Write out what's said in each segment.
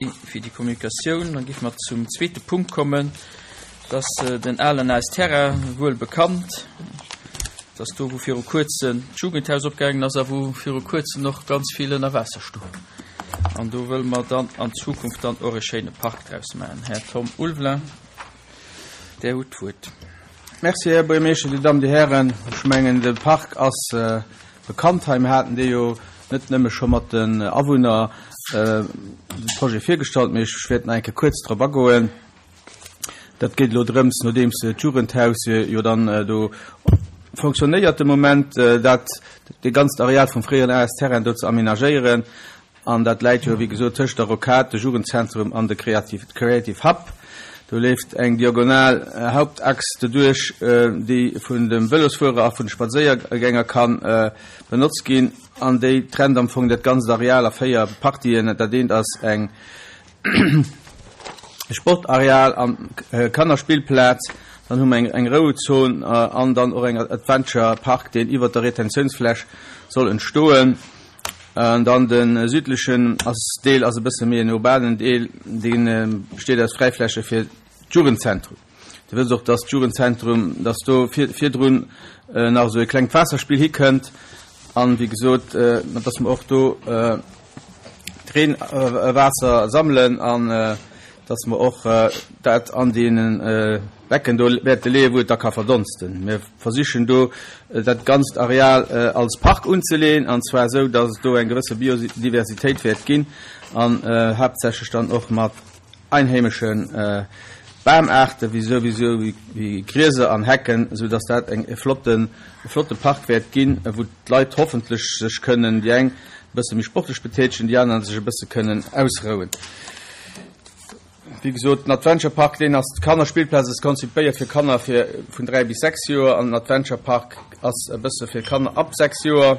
Fir déi Kommunikatioun. Dann géife mer zum zweete Punkt kommen. Dat ass den alen AS Terrain, wuel bekannt. Dat ass do, wou viru Kuerzem d'Jugendhaus opgaangen ass a wou viru Kuerzem och ganz vill ënner Waasser stoung. An do wëlle mer dann an Zukunft dann och e schéine Park draus maachen. Här Tom Ulveling, Där hutt d'Wuert. Merci, Här Buergermeeschter, Dir Dammen, Dir Hären. Ech mengen, de Park ass bekannt hei. Mir haten dee jo net nëmme scho mat den Awunner de Projet virgestallt, mee ech wäert nach eng Kéier kuerz drop agoen. Dat geet elo drëms, nodeems d'Jugendhaus jo dann do fonctionnéiert de Moment, dat dee ganzt Areal vum fréieren AS-Terrain do ze aménagéieren. An dat läit jo, wéi gesot, tëscht der Rocade, de Jugendzentrum an de Creative Hub. Do leeft eng diagonal Hauptachs doduerch, déi vun de Vëlosfuerer a vun de Spadséiergänger ka benotzt ginn. An déi trennt am Fong dat ganzt Areal a 4 Partien. Dat eent ass eng Sportareal an Kannerspillplaz. Dann hu mer eng Rouzon an dann och eng Adventure Park, deen iwwert der Retentiounsfläch soll entstoen. An dann de südlechen ass Deel ass e bësse méi en urbanen Deel, dee besteet aus Fräifläche fir d'Jugendzentrum. Dir wësst och, dass d'Jugendzentrum, dass do virdrun nach esou e klengt Waasserspill hikënnt an, wéi gesot, dass mer och do d'Reenwaasser sammelen an dass mer och dat an deene Becken do wäerte leeën, wou et da ka verdonsten. Mir versichen do dat ganzt Areal als Park unzeleeën, an zwar esou, dass et do eng gewësse Biodiversitéit wäert ginn an haaptsächlech dann och mat einheimesche Bamaarte wéi souwisou wéi Grieser an Hecken, esou dass dat eng e flotten, e flotte Park wäert ginn, wou d'Leit hoffentlech sech kënnen, déi eng e bësse méi sportlech betätegen, déi aner sech e bësse kënnen ausrouen. Wéi gesot, den Adventure Park, deen ass, d'Kannerspillplaz ass konzipéiert fir Kanner fir vun 3 bis 6 Joer an den Adventure Park ass e bësse fir Kanner ab 6 Joer.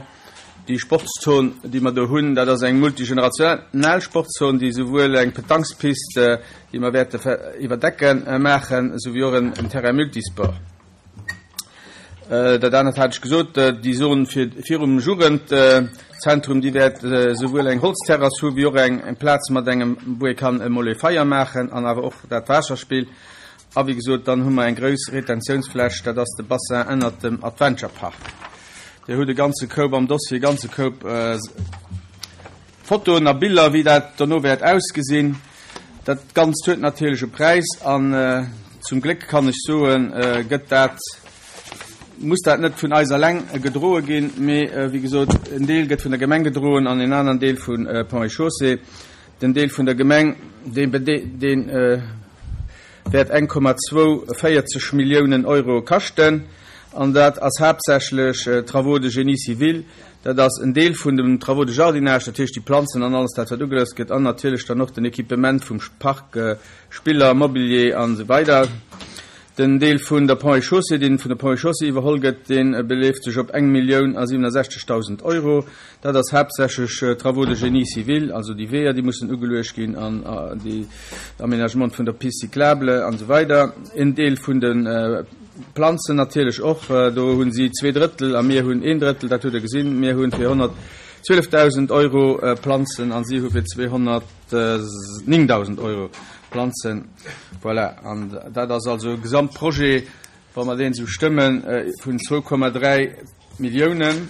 Déi Sportszon, déi mer do hunn, dat ass eng multigenerationell Sportszon, déi souwuel eng Petanquespiste, déi mer wäerte iwwerdecken, maachen, souwéi och en Terrain multisport. Dat anert hat ech gesot, déi Zon virum Jugendzentrum, déi wäert esouwuel eng Holzterrass hu wéi och eng Plaz mat engem, wou ee kann emol ee Feier maachen an awer och dat Waasserspill. A wéi gesot, dann hu mer eng grouss Retentiounsfläch, dat ass de Bassin ënnert dem Adventure Park. Dir hutt e ganze Koup am Dossier, e ganze Koup Fotoen a Biller, wéi dat dono wäert ausgesinn. Dat Ganzt huet natierlech e Präis an zum Gléck kann ech soen, gëtt dat, muss dat net vun eis eleng gedroe ginn, mee wéi gesot, en Deel gëtt vun der Gemeng gedroen an en aneren Deel vu Ponts et Chaussées. Den Deel vun der Gemeng, dee wäert 1,42 Milliounen Euro kaschten an dat ass haaptsächlech Travaux de génie civil, Dat ass en Deel vun den Travaux de jardinage, dat heescht déi Planzen an alles dat wat ugelooss gëtt an natierlech dann och den Equipement vum Park, Spiller, Mobilier an esou weider. Den Deel vun der Ponts et Chaussées, deen vun der Ponts et Chaussées iwwerholl gëtt, dee beleeft sech op 1.067.000 Euro. Dat ass haaptsächlech Travaux de génie civil, also déi Weeër déi mussen ugeluecht ginn an déi Aménagement vun der Piste cyclable an esou weider. En Deel vun de Planzen natierlech och. Do hu si 2 Drëttel a mir hunn een Drëttel, dat hutt Der gesinn. Mir hu fir 112.000 Euro Planzen a si hu fir 209.000 Euro Planzen. Voilà, an dat ass also e Gesamtprojet, wa mer deen esou stëmmen, vun 2,3 Milliounen.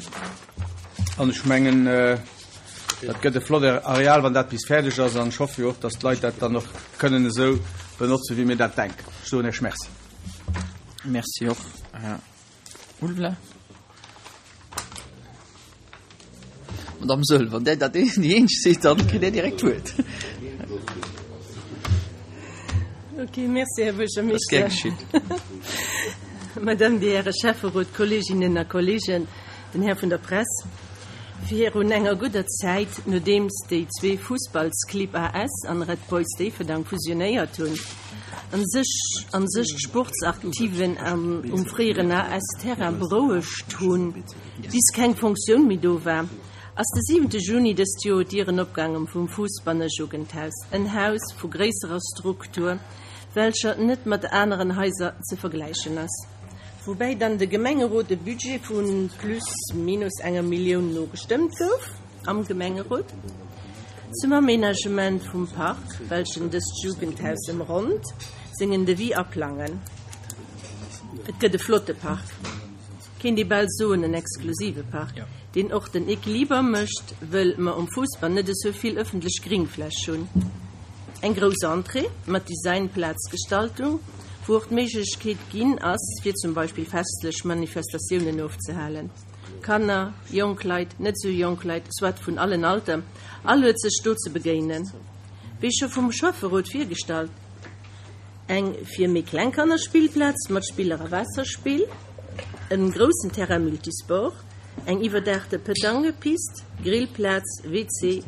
An ech mengen, dat gëtt e flott Areal, wann dat bis fäerdeg ass. An ech hoffe jo och, datt d'Leit dat dann och kënnen esou benotzen, wéi mir dat denken. Ech soen Iech Merci. Merci och, Här Ulveling. Madame Söll, wann Där dat déi eenzeg sidd, dann kritt Där direkt d'Wuert. Ok, merci, Här Buergermeeschter. Ass gär geschitt. Madame, Dir Häre Schäfferot, Kolleeginnen a Kolleegen, den Här vun der Press. Virun enger gudder Zäit, nodeems déi zwee Fussballsclibb AS an Red Boys Déifferdang fusionéiert hunn, an sech an sech d'Sportsaktiven am um fréieren AS-Terrain berouegt hunn, bis keng Funktioun méi do war, ass de siwente Juni dëst Joer d'Dieren opgaangen vum Fussbannerjugendhaus, en Haus vu gréisserer Struktur, welcher net mat aneren Haiser ze vergläichen ass. Woubäi dann de Gemengerot e Budget vu plus minus enger Millioun nogestëmmt gouf am Gemengerot. Zum Aménagement vum Park, welchen dëst Jugendhaus ëmronnt, sengen Devis aplangen. Et gëtt e flotte Park, kéint ee bal soen en exklusive Park, deen och den Equiliber mécht, wëll mer um Fousbann net esou vill ëffentlech Gringfläch hunn. Eng grouss Entrée mat Designplazgestaltung, wou och d'Méiglechkeet ginn ass, fir zum Beispill festlech Manifestatiounen ofzehalen. Kanner, jonk Leit, net esou jonk Leit, soit vun allen Alter, all huet sech do ze begéinen. Wéi scho vum Schäfferot virgestallt, eng fir méi kleng Kanner Spillplaz mat Spiller a Waasserspill, en groussen Terrain multisport, eng iwwerdaachte Petanquepist, Grillplaz, WC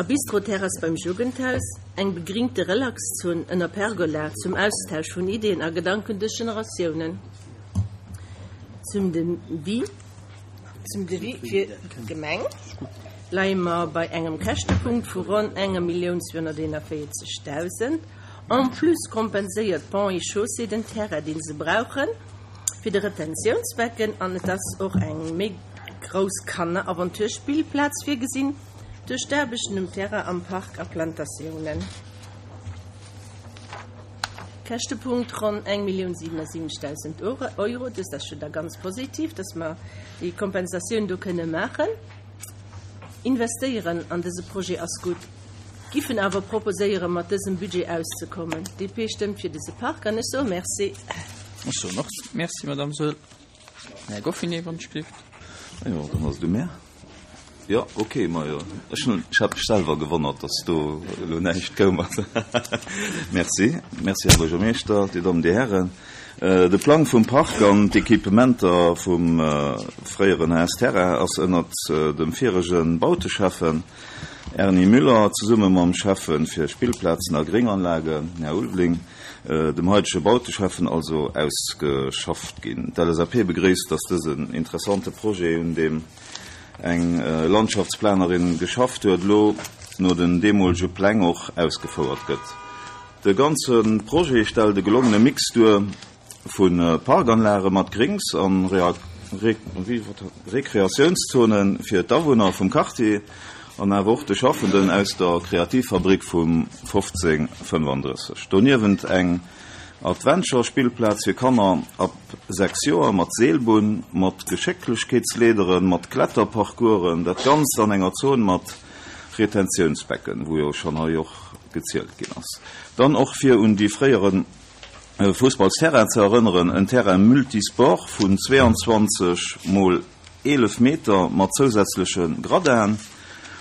a Bistroterrass beim Jugendhaus, eng begringte Relaxzon ënner Pergola zum Austausch vun Ideeën a Gedanken duerch Generatiounen. Zum Devis, zum Devis fir d'Gemeng leie mer bei engem Käschtepunkt vu ronn enger 1.241.000. En plus kompenséiert Ponts et Chaussées den Terrain, dee se brauchen fir de Retentiounsbecken an et ass och eng méi grouss Kanner-Aventurspillplaz virgesinn duerch d'Aarbechten um Terrain am Park a Plantatiounen. Käschtepunkt ronn 1.077.000 Euro. Dëst ass jo da ganz positiv, dass mer déi Kompensatioun do kënne maachen. Investéieren an dëse Projet ass gutt, giffen awer proposéieren, mat dësem Budget auszekommen. DP stëmmt fir dëse Park an ech soe Merci. Ech soen och Merci, Madame Saeul. Här Goffinet, wann ech gelift. Jo, dann ass et u mär. Jo, ok, majo, ech hunn, ech hat mech selwer gewonnert, dass do elo näischt koum ass. Merci, merci, Här Buergermeeschter, Dir Dammen, Dir Hären. De Plang vum Park an d'Equipementer vum fréieren HS Terrain ass ënnert dem virege Bauteschäffen Erny Müller zesumme mam Schäffe fir Spillplazen a Grénganlagen, Här Ulveling, dem haitege Bauteschäffen also, ausgeschafft ginn. D'LSAP begréisst, dass dësen interessante Projet, un deem eng Landschaftsplanerin geschafft huet, elo no den deemolege Pläng och ausgefouert gëtt. De ganze Projet stellt e gelongene Mix duer vu Parkanlage mat Grings a Rekreatiounszone fir d'Awunner vum Quartier an awer och de Schaffenden aus der Kreativfabrik vum 1535. Doniewent eng Adventure-Spillplaz fir Kanner ab 6 Joer mat Seelbunn, mat Geschécklechkeetsleederen, mat Kletterparcoursen, dat Ganzt an enger Zon mat Retentiounsbecken, wou jo schonn hei och gezielt ginn ass. Dann och fir un déi fréiere Fussballsterrain ze erënneren, en Terrain multisport vun 22 mol 11 Meter mat zousätzleche Gradinen.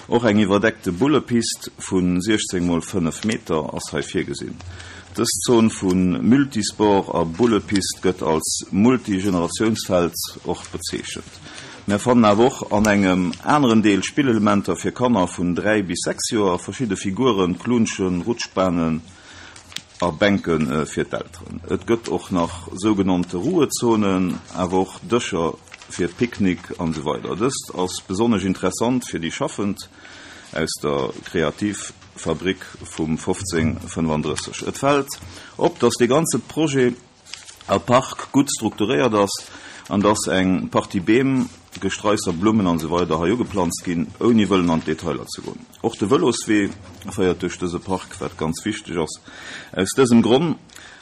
Och eng iwwerdeckte Bullepist vu 16 mol 5 Meter ass hei virgesinn. Dës Zon vu Multisport a Bullepist gëtt als Multigeneratiounsfeld och bezeechent. Mär fannen awer och an engem aneren Deel Spillelementer fir Kanner vun 3 bis 6 Joer, verschidde Figuren, Klunschen, Rutschbanen, A Bänke fir d'Elteren. Et gëtt och nach sougenannte Ruhezonen, awer och Dëscher fir Picknick an esou weider. Dëst ass besonnesch interessant fir déi Schaffend aus der Kreativfabrik vum 1535. Et fält op, dass dee ganze Projet a Park gutt strukturéiert ass an dass eng Partie Beem, Gestraisser, Blummen an esou weider hei ugeplanzt ginn, ouni wëllen an d'Detailer ze goen. Och de Vëloswee féiert duerch dëse Park, wat ganz wichteg ass. Aus dësem Gronn,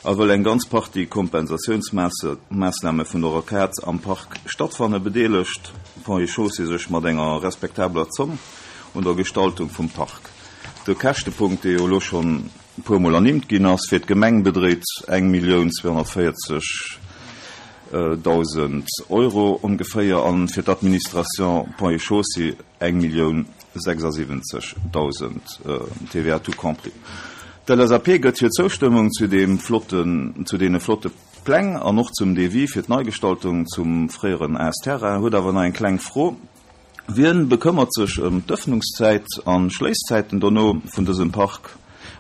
a wëll eng ganz Partie Kompensatiounsmaassname vun der Rocade am Park stattfanne, bedeelegt Ponts et Chaussées sech mat enger respektabeler Zomm un der Gestaltung vum Park. De Käschtepunkt, dee jo elo schonn e puer Mol ernimmt ginn ass, fir d'Gemeng bedréit 1.240.000 Euro ongeféier an fir d'Administration Ponts et Chaussées 1.076.000, TVA tout compris. D'LSAP gëtt hir Zoustëmmung zu deem flotten, zu deene flotte Pläng an och zum Devis fir d'Neigestaltung zum fréieren AS-Terrain, huet awer nach eng kleng Fro. Wien bekëmmert sech ëm d'Ëffnungszäit an Schléisszäiten dono vun dësem Park?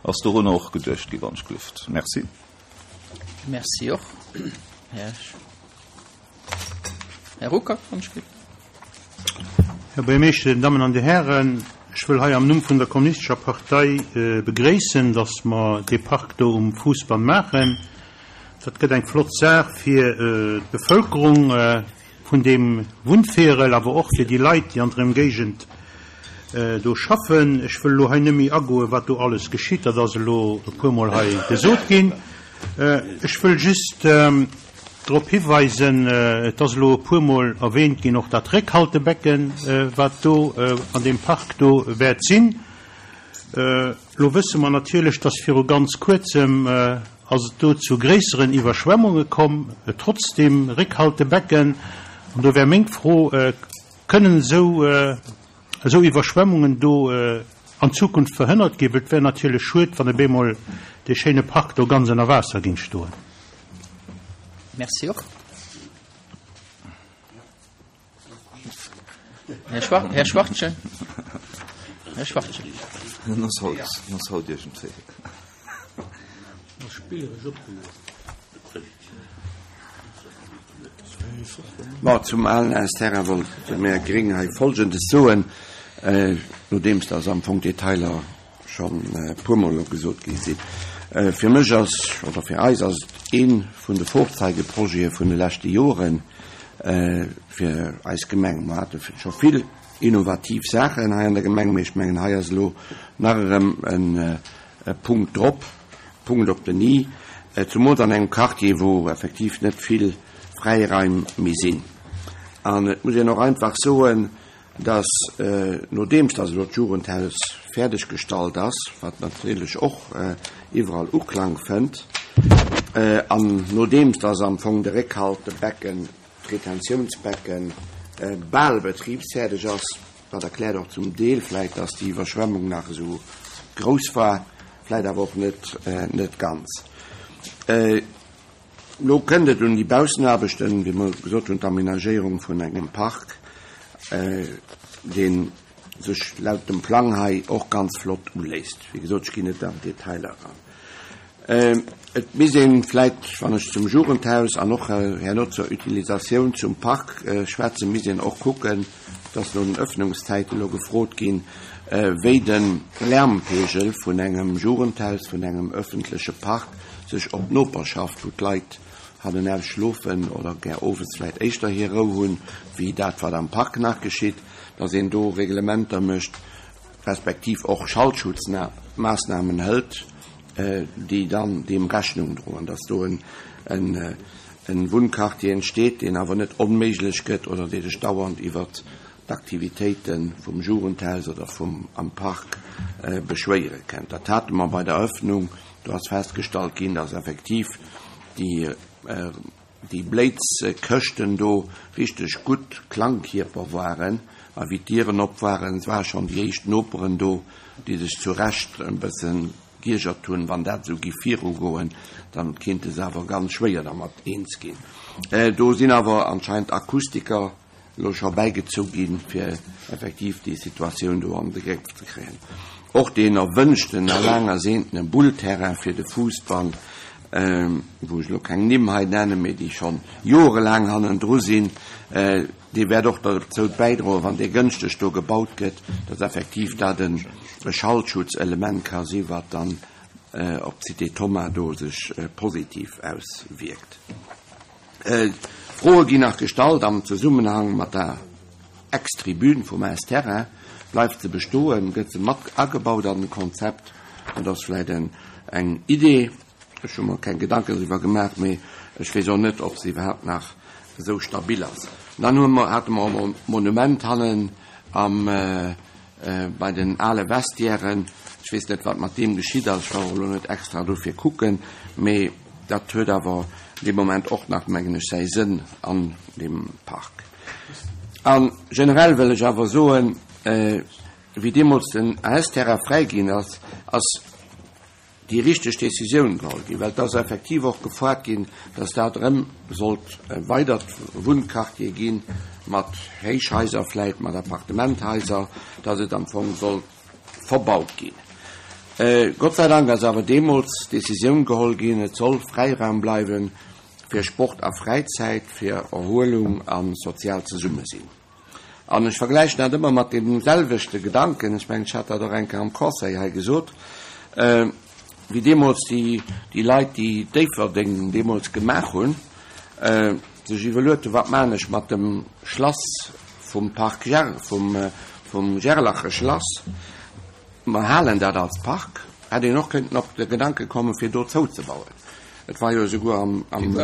Ass dorunner och geduecht gi wann ech glift? Merci. Merci och, Här Här Ruckert, wann ech glift. Här Buergermeeschter, Dir Dammen an Dir Hären, ech wëll hei am Numm vun der Kommunistescher Partei begréissen, dass mer dee Park do um Fousbann maachen. Dat gëtt eng flott Saach fir d'Bevölkerung. Vun deem Wunnvierel, awer och fir déi Leit, déi an der Ëmgéigend. do schaffen. Ech wëll elo hei net méi agoen, wat do alles geschitt, dat ass elo e puermol hei gesot ginn. Ech wëll just drop hiweisen, et ass elo e puermol erwähnt ginn, och dat Réckhaltebecken, wat do an deem Park do wäert sinn. Elo wësse mer natierlech, dass viru ganz Kuerzem ass et do zu gréisseren Iwwerschwemmunge komm, trotz deem Réckhaltebecken. An do wär meng Fro, Kënnen esou esou Iwwerschwemmungen do an Zukunft verhënnert ginn? Well et wär natierlech schued, wann op eemol dee schéine Park do ganz ënner Waasser géing stoen. Merci och. Här Schwar Här Schwartchen. Här Schwartchen. En ass haut, en ass haut iergendwéi. Ma zum alen AS-Terrain wollte mär Gréng hei Folgendes soen, nodeems dass am Fong d'Detailer schonn e puermol elo gesot gi sinn. Fir mech ass, oder fir eis ass et ee vun de Vorzeigeprojete vun de leschte Jore fir eis Gemeng. Mer hate scho vill innovativ Saachen hei an der Gemeng, mee ech mengen hei ass elo nach erëm e Punkt drop. Punkt op den i, zumools an engem Quartier, wou effektiv net vill Fräiraim méi sinn. An et muss een och einfach soen, dass, nodeems dass elo d'Jugendhaus fäerdeg gestallt ass, wat natierlech och iwwerall Uklang fënnt, an nodeems dass am Fong de Réckhaltebecken, d'Retentiounsbecken, bal betribsfäerdeg ass, dat erkläert och zum Deel vläicht, dass déi Iwwerschwemmung nach esou grouss war, Vläit awer och net, net ganz. Elo kënnt et un déi Baussenaarbechten, wéi mer gesot hunn, d'Amenagéierung vun engem Park, dee sech laut dem Plang hei och ganz flott uléisst. Wéi gesot, ech ginn net an d'Detailer eran. Et misst ee vläit, wann ech zum Jugendhaus an och herno zur Utilisatioun zum Park schwätzen, misst een och kucken, Et ass no den Öffnungszäiten elo gefrot ginn, wéi de Lärmpegel vun engem Jugendhaus, vun engem öffentleche Park sech op d'Noperschaft, wou d'Leit hannenaus schlofen oder gär owes vläicht éischter hir Rou hunn, wéi dat, wat am Park nach geschitt, dass een do Reglementer mécht, respektiv och Schallschutzmaassnamen hëlt, déi dann deem Rechnung droen, dass do en Wunnquartier entsteet, deen awer net onméiglech gëtt oder dee sech dauernd iwwert d'Aktivitéite vum Jugendhaus oder vum am Park beschwéiere kënnt. Dat hate mer bei der Eröffnung. Do ass festgestallt ginn, dass effektiv déi déi Bléizkëschten do richteg gutt Klangkierper waren a wéi d'Dieren op waren, et ware schonn déi éischt Noperen do, déi sech zu Recht e bësse giergert hunn, wann dat esou giff virugoen, dann kéinte se awer ganz schwéier dermat eens ginn. Do sinn awer anscheinend Akustiker elo scho bäigezu ginn, fir effektiv déi Situatioun do an de Gréff ze kréien. Och deen erwënschten a laang erseentene Bullterrain fir de Fussball, wou ech elo keng Nimm hei nennen, mee déi schonn jorelaang hannendru sinn, dee wäert och derzou bäidroen, wann dee gënschteg do gebaut gëtt, datt effektiv dat e Schallschutzelement ka si wat dann op d'Cité Thomas do sech positiv auswierkt. Froe ginn nach gestallt am Zesummenhang mat der Ex-Tribün vum AS Terrain. Bleift se bestoen? Gëtt se mat agebaut an den Konzept? Dat ass vläit eng Idee. Ech hu mer keng Gedanken driwwer gemaach, mee ech weess och net, ob se iwwerhaapt nach esou stabil ass. Dann hu mer, hate mer och e Monument hannen am, bei den ale Vestiairen. Ech weess net, wat mat deem geschitt ass. Ech war och elo net extra dofir kucken, mee dat huet awer dee Moment och nach, mengen ech, säi Sënn an deem Park. A generell wëll ech awer soen, wéi deemools den AS-Terrain fräi ginn ass, ass déi richteg Décisioun geholl ginn, well et ass effektiv och gefoart ginn, dass dat erëm sollt e weidert Wunnquartier gi mat Héichhaiser vläit, mat Appartementhaiser, dass et am Fong sollt verbaut ginn. Gott sei Dank ass awer deemools d'Décisioun geholl ginn, et soll Fräiraum bleiwe fir Sport a Fräizäit, fir Erhuelung a soziaalt Zesummesinn. An ech vergläichen dat ëmmer mat deem selwechte Gedanken, ech mengen, ech hat dat och eng Kéier am Conseil hei gesot, wéi deemools déi, déi Leit, déi Déifferdeng deemools gemaach hunn, sech iwwerluet hunn, wat maachen ech mat dem Schlass vum Parc Ger, vum, vum Gerlache Schlass, mer halen dat als Park, hätt een och kënnten op de Gedanke kommen, fir do zouzebauen. Et war jo esouguer am, am,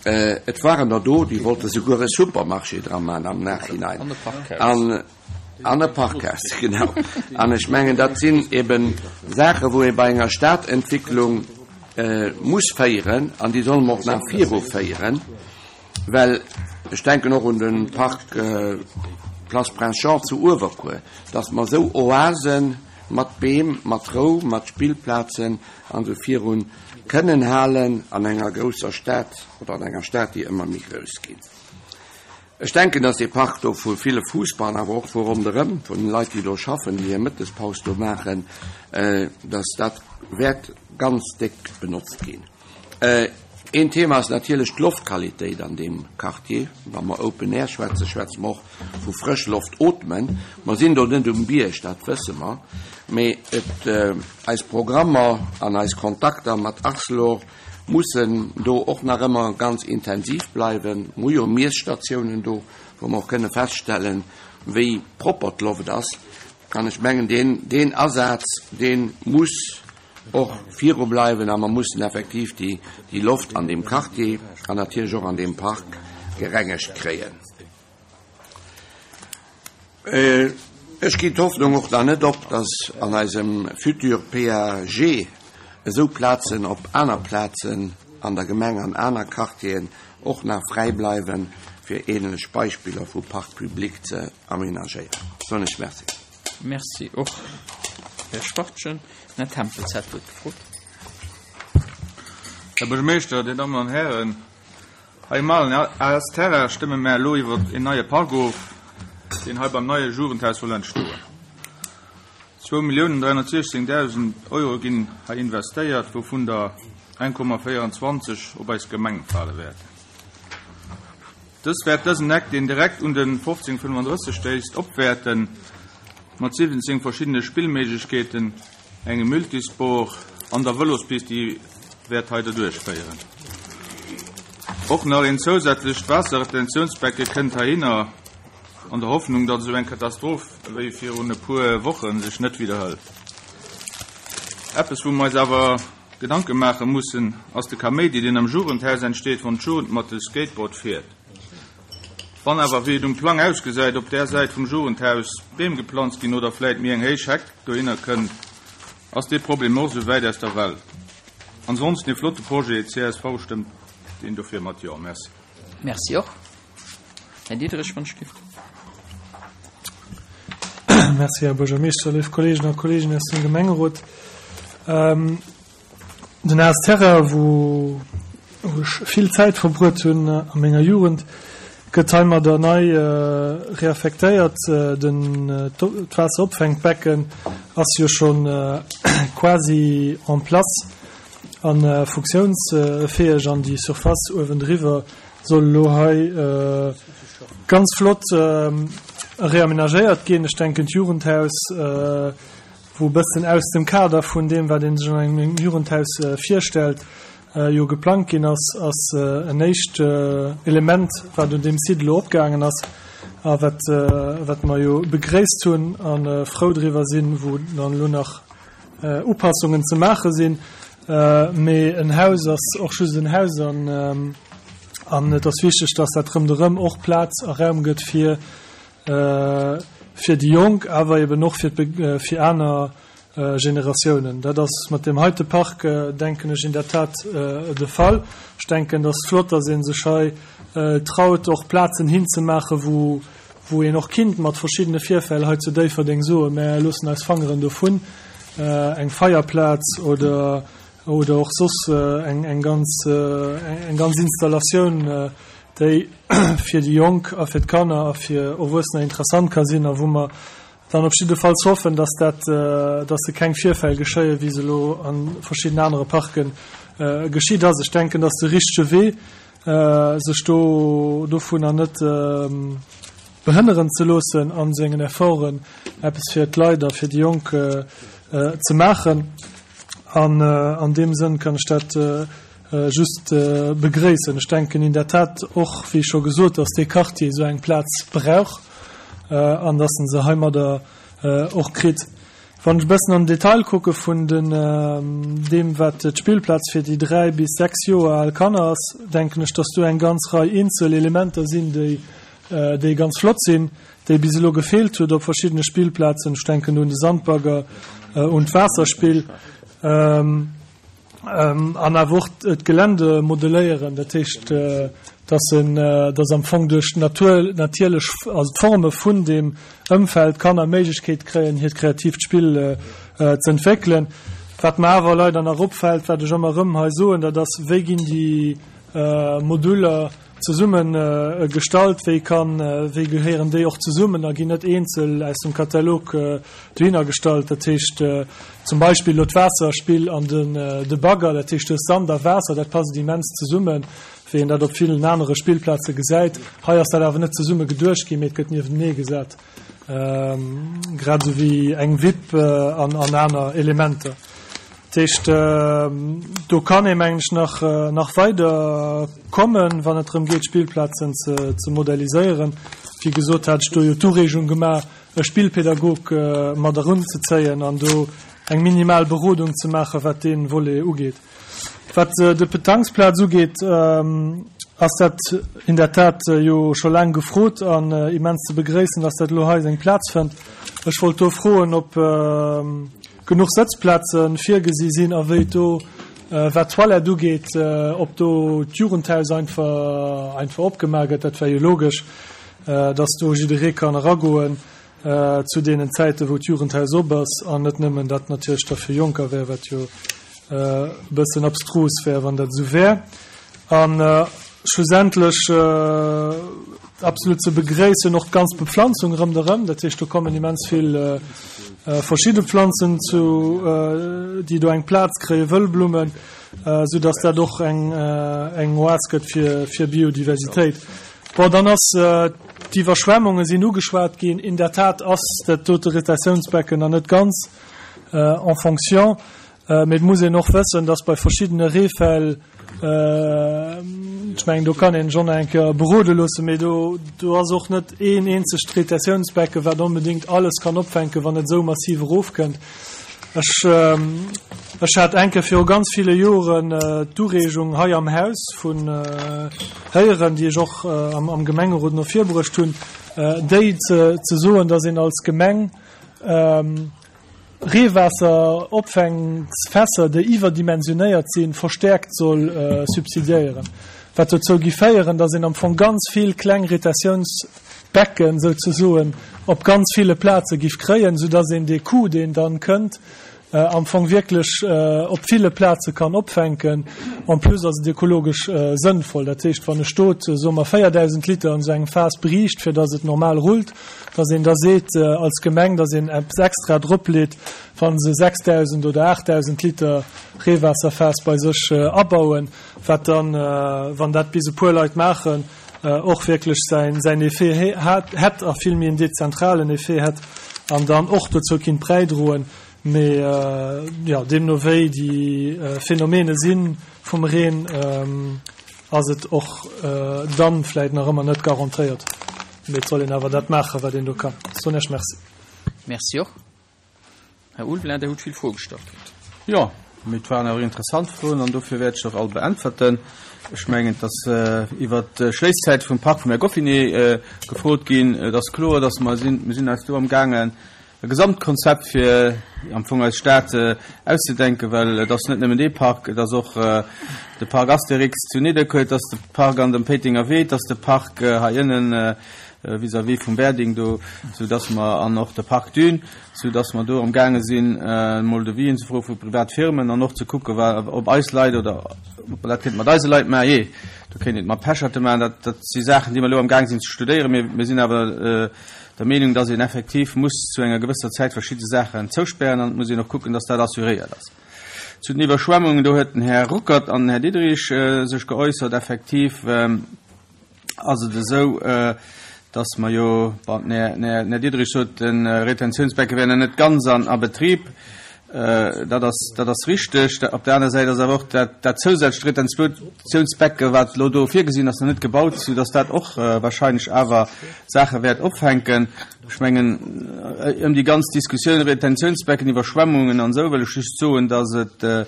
et waren der do, déi wollte souguer e Supermarché dra maachen am Nachhinein. An e Parkhaus. An, an e Parkhaus, genau. An ech mengen, dat sinn eben Saachen, wou ee bei enger Stadentwicklung muss féieren, an déi solle mer och nach viruféieren. Well ech denken och un de Park Place Prince Jean zu Uewerkuer, dass mer esou Oase mat Beem, mat Rou, mat Spillplazen an esou virun kënnen halen an enger grousser Stad oder an enger Stad, déi ëmmer méi grouss ginn. Ech denken, dass dee Park do vu ville Fussball, awer och vu ronderëm, vun Leit, déi do schaffen, déi hir Mëttespaus do maachen, dass dat wäert ganz déck benotzt ginn. Een Thema ass natierlech d'Loftqualitéit an deem Quartier. Wa mer Open Air schwätzen, schwätze mer och vu frësch Loft ootmen. Mer sinn do net um Bierg, dat wësse mer, mee et, eis Programmer an eis Kontakter mat Arcelor mussen do och nach ëmmer ganz intensiv bleiwen. Mer hu jo Miesstatiounen do, wou mer och kënne feststellen, wéi propper d'Loft ass. An ech mengen, deen, deen Asaz, dee muss och viru bleiwen a mer mussen effektiv déi déi Loft an deem Quartier an natierlech och an deem Park gerengegt kréien. Ech ginn d'Hoffnung och nach net op, dass an eisem futur PAG esou Plazen op aner Plazen an der Gemeng, an aner Quartieren och nach fräi bleiwen, fir ähnlech Beispiller vu Parcs publics ze aménagéieren. Soen ech Merci. Merci och, Här Schwachtgen. Den Här Tempels hat d'Wuert gefrot. Här Buergermeeschter, Dir Dammen an Hären, hei um alen AS Terrain stëmme mär elo iwwer een neie Park of, deen hei beim neie Jugendhaus soll entstoen. 2.316.000 Euro ginn hei investéiert, wouvun der 1,24 op eis Gemeng fale wäerten. Dës wäert dësen Eck, deen direkt un de 1535 stéisst, opwäerten, mat 17 verschiddene Spillméiglechkeeten, engem Multisport an der Vëlospist, déi wäert hei derduerch féieren. Och nach een zousätzlecht Waasserretentiounsbecke kënnt heihinner, an der Hoffnung, datt esou eng Katastroph wéi virun e puer Woche sech net widderhëlt. Eppes, wou mer eis awer Gedanke maache mussen, ass de Kaméidi, deen am Jugendhaus entsteet, wann d'Jugend mat de Skateboard fiert. Wann awer, wéi et um Plang ausgesäit, op där Säit vum Jugendhaus Beem geplanzt ginn oder vläit méi eng héich Heck dohinner kënnt, ass dee Problem och esou wäit aus der Welt. Ansonsten ee flotte Projet, csv stëmmt deen dofir mat Jo. Merci. Merci och. Här Diderich, wann ech giff. Merci, Här Buergermeeschter, léif Kolleegen a Kolleegen aus dem Gemengerot. Den AS Terrain, wou ech vill Zäit verbruet hunn a menger Jugend, gëtt heimadder nei reaffektéiert. Den d'Waasseropfänkbecken ass jo scho quasi en place a funktiounsfäeg an déi Surface uewendriwwer soll elo hei ganz flott reamenagéiert ginn. Ech denken d'Jugendhaus, wou e bëssen aus dem Kader vun deem, wat ee sech an engem Jugendhaus virstellt, jo geplangt ginn ass, ass en éischt Element, wat un deem Site elo opgaangen ass a wat, wat mer jo begréisst hunn a frou driwwer sinn, wou dann elo nach Upassungen ze maache sinn. Mee en Haus ass och just en Haus an an et ass wichteg, dass dat ronderëm och Plaz a Raum gëtt fir fir déi Jonk, awer eben och fir fir aner Generatiounen. Dat ass mat deem heite Park, denken ech, in der Tat de Fall. Ech denken, et ass flott, dass ee sech hei traut, och Plazen hinzemaachen, wou wou een och kinnt mat verschiddene Virfäll hei zu Déifferdeng soen, mär loossen eis Fangeren dovun, eng Feierplaz oder oder och soss eng eng ganz eng ganz Installatioun, déi fir déi Jonk a fir d'Kanner a fir Erwuessener interessant ka sinn a wou mer dann op jiddefalls hoffen, dass dat dass se keng Virfäll geschéien, wéi se elo a verschidden anere Parke geschitt ass. Ech denken, dass de richtege Wee sech do dovunner net behënneren ze loossen a sengen Efforten eppes fir d'Leit a fir déi Jonk ze maachen. An an deem Sënn kann ech dat just begréissen. Ech denken in der Tat och, wéi scho gesot, datt dee Quartier esou eng Plaz brauch. an dass en se heimadder och kritt. Wann ech e bëssen an den Detail kucke vun den, deem wat d'Spillplaz fir déi 3 bis 6 Joer al Kanner ass, denken ech, dass do eng ganz Rei eenzel Elementer sinn, déi, déi ganz flott sinn, déi bis elo gefeelt huet op verschiddene Spillplazen. Ech denken do un de Sandbagger, un d'Waasserspill. An awer och d'Gelände modelléieren, dat heescht, dass en, dass am Fong duerch d'Natur, natierlech, also d'Forme vun deem Ëmfeld d'Kanner d'Méiglechkeet kréien, hiert kreatiivt Spill ze entwéckelen. Wat mer awer leider nach opfält, wat ech ëmmer erëm hei soen, dat ass, Wéi ginn déi Moduler Zesumme gestallt, wéi kann, wéi gehéieren déi och zesummen a ginn net eenzel aus dem Katalog dohinner gestallt. Dat heescht zum Beispill elo d'Waasserspill an den de Bagger, dat heescht du hues Sand a Waasser, dat passt immens zesummen, wéi een dat op villen anere Spillplaze gesäit. Hei ass dat awer net zesumme geduecht ginn, mee et gëtt niewentenee gesat, grad esou wéi eng Wipp an aner Elementer. Dat heescht, do kann ee mengen ech nach, nach weider kommen, wann et drëm geet, Spillplazen ze, ze modelliséieren. Wéi gesot hat ech do jo d'Ureegung gemaach, e Spillpädagog mat erunzezéien an do eng minimal Berodung ze maachen, wat dee Volet ugeet. Wat de Petanquesplaz ugeet, ass dat in der Tat jo scho laang gefrot an immens ze begréissen, dass dat elo hei seng Plaz fënnt. Ech wollt do froen, ob genuch Sëtzplaze virgesi sinn a wéi et do, wat d'Toilette ugeet, ob do d'Jugendhaus einfach einfach opgemaach gëtt. Dat wär jo logesch, dass do jidderee kann eragoen zu deenen Zäiten, wou d'Jugendhaus op ass an net nëmmen dat natierlech da fir Jonker wär, wat jo e bëssen abstrus wär, wann dat esou wär. A schlussendlech absolut ze begréissen och d'ganz Bepflanzung rëmderëm. Dat heescht, do kommen immens vill verschidde Pflanzen zu, déi do eng Plaz kréien, Wëllblummen, soudass dat och eng eng Oas gëtt fir fir Biodiversitéit. Bon, dann ass d'Iwwerschwemmunge sinn ugeschwat ginn. In der Tat ass dat dote Retentiounsbecken nach net ganz en fonction. Mee et muss een och wëssen, dass bei verschiddene Reefäll, ech mengen, do kann een sech och nach eng Kéier berode loossen, mee do, do ass och net een eenzegt Retentiounsbecken, wat onbedéngt alles kann opfänken, wann et esou massiv erofkënnt. Ech, ech hat eng Kéier viru ganz ville Joren d'Ureegung hei am Haus vun héieren, déi ech och am, am Gemengerot no virbruecht hunn, déi ze, ze soen, dass een als Gemeng, Reewaasseropfängsfässer, déi iwwerdimensionéiert sinn, verstäerkt soll subsidiéieren, wat dozou gi féieren, datt een am Fong ganz vill kleng Retentiounsbecken souzesoen op ganz ville Plaze giff kréien, soudatt een dee Coût, deen dann kënnt, am Fong wierklech op ville Plaze kann opfänken. En plus ass et ökologesch sënnvoll. Dat heescht, wann e Stot, soe mer, 4.000 Liter an esou engem Faass bräicht, fir datt et normal rullt, datt een da seet als Gemeng, datt een eppes extra dropleet, wa se 6.000 oder 8.000 Liter Reewaasserfaass bei sech abauen, wat dann, wann dat bis e puer Leit maachen, och wierklech säin Effet hätt a vill méi en dezentralen Effet hätt an dann och dozou kinnt bräidroen. Mee jo, deemno wéi déi Phänomene si vum Reen, ass et och dann vläit nach ëmmer net garantéiert. Mee et soll een awer dat maachen, wat een do kann. Soen Iech Merci. Merci och. Här Ulveling, Der hutt vill Froe gestallt kritt. Jo, mee et waren awer interessant Froen an dofir wäert ech se och all beäntwerten. Ech mengen, et ass iwwert d'Schléisszäit vum Park vum Här Goffinet gefrot ginn. Et ass kloer, dass mer sinn, mir sinn eis do amgaangen, e Gesamtkonzept fir am Fong eis Stad auszedenken, well et ass net nëmmen dee Park, et ass och de Parc Astérix zu Nidderkuer, et ass de Park an dem Péitenger Wee, et ass de Park hei ënnen vis-à-vis vum Berding do, soudass mer, an och de Parc Dune, soudass mer do amgaange sinn, emol Devisen ze froe vu privat Firmen an och ze kucke ob eis Leit oder ob mer dat kéinte mat eise Leit maachen. Jee, do kéint een et mat Pecherte maachen. Dat, dat si Saachen, déi mer elo amgaang sinn ze studéieren. Mir, mir sinn awer der Meenung, dass een effektiv muss zu enger gewësser Zäit verschidde Saachen zouspären an et muss een och kucken, dass dat assuréiert ass. Zu den Iwwerschwemmungen, do huet den Här Ruckert an den Här Diderich sech geäussert. Effektiv ass et esou, dass mer jo, bon, den Här Diderich sot, de Retentiounsbecke wär nach net ganz an a Betrib. Dat ass, dat ass richteg. Op der aner Säit ass awer och dat, dat zousätzlecht Retentiounsbecke, wat elo do virgesinn ass, nach net gebaut, soudass dat och wahrscheinlech awer Saache wäert opfänken. Ech mengen, ëm déi ganz Diskussioun Retentiounsbecken, Iwwerschwemmungen an esou, wëll ech just soen, dass et e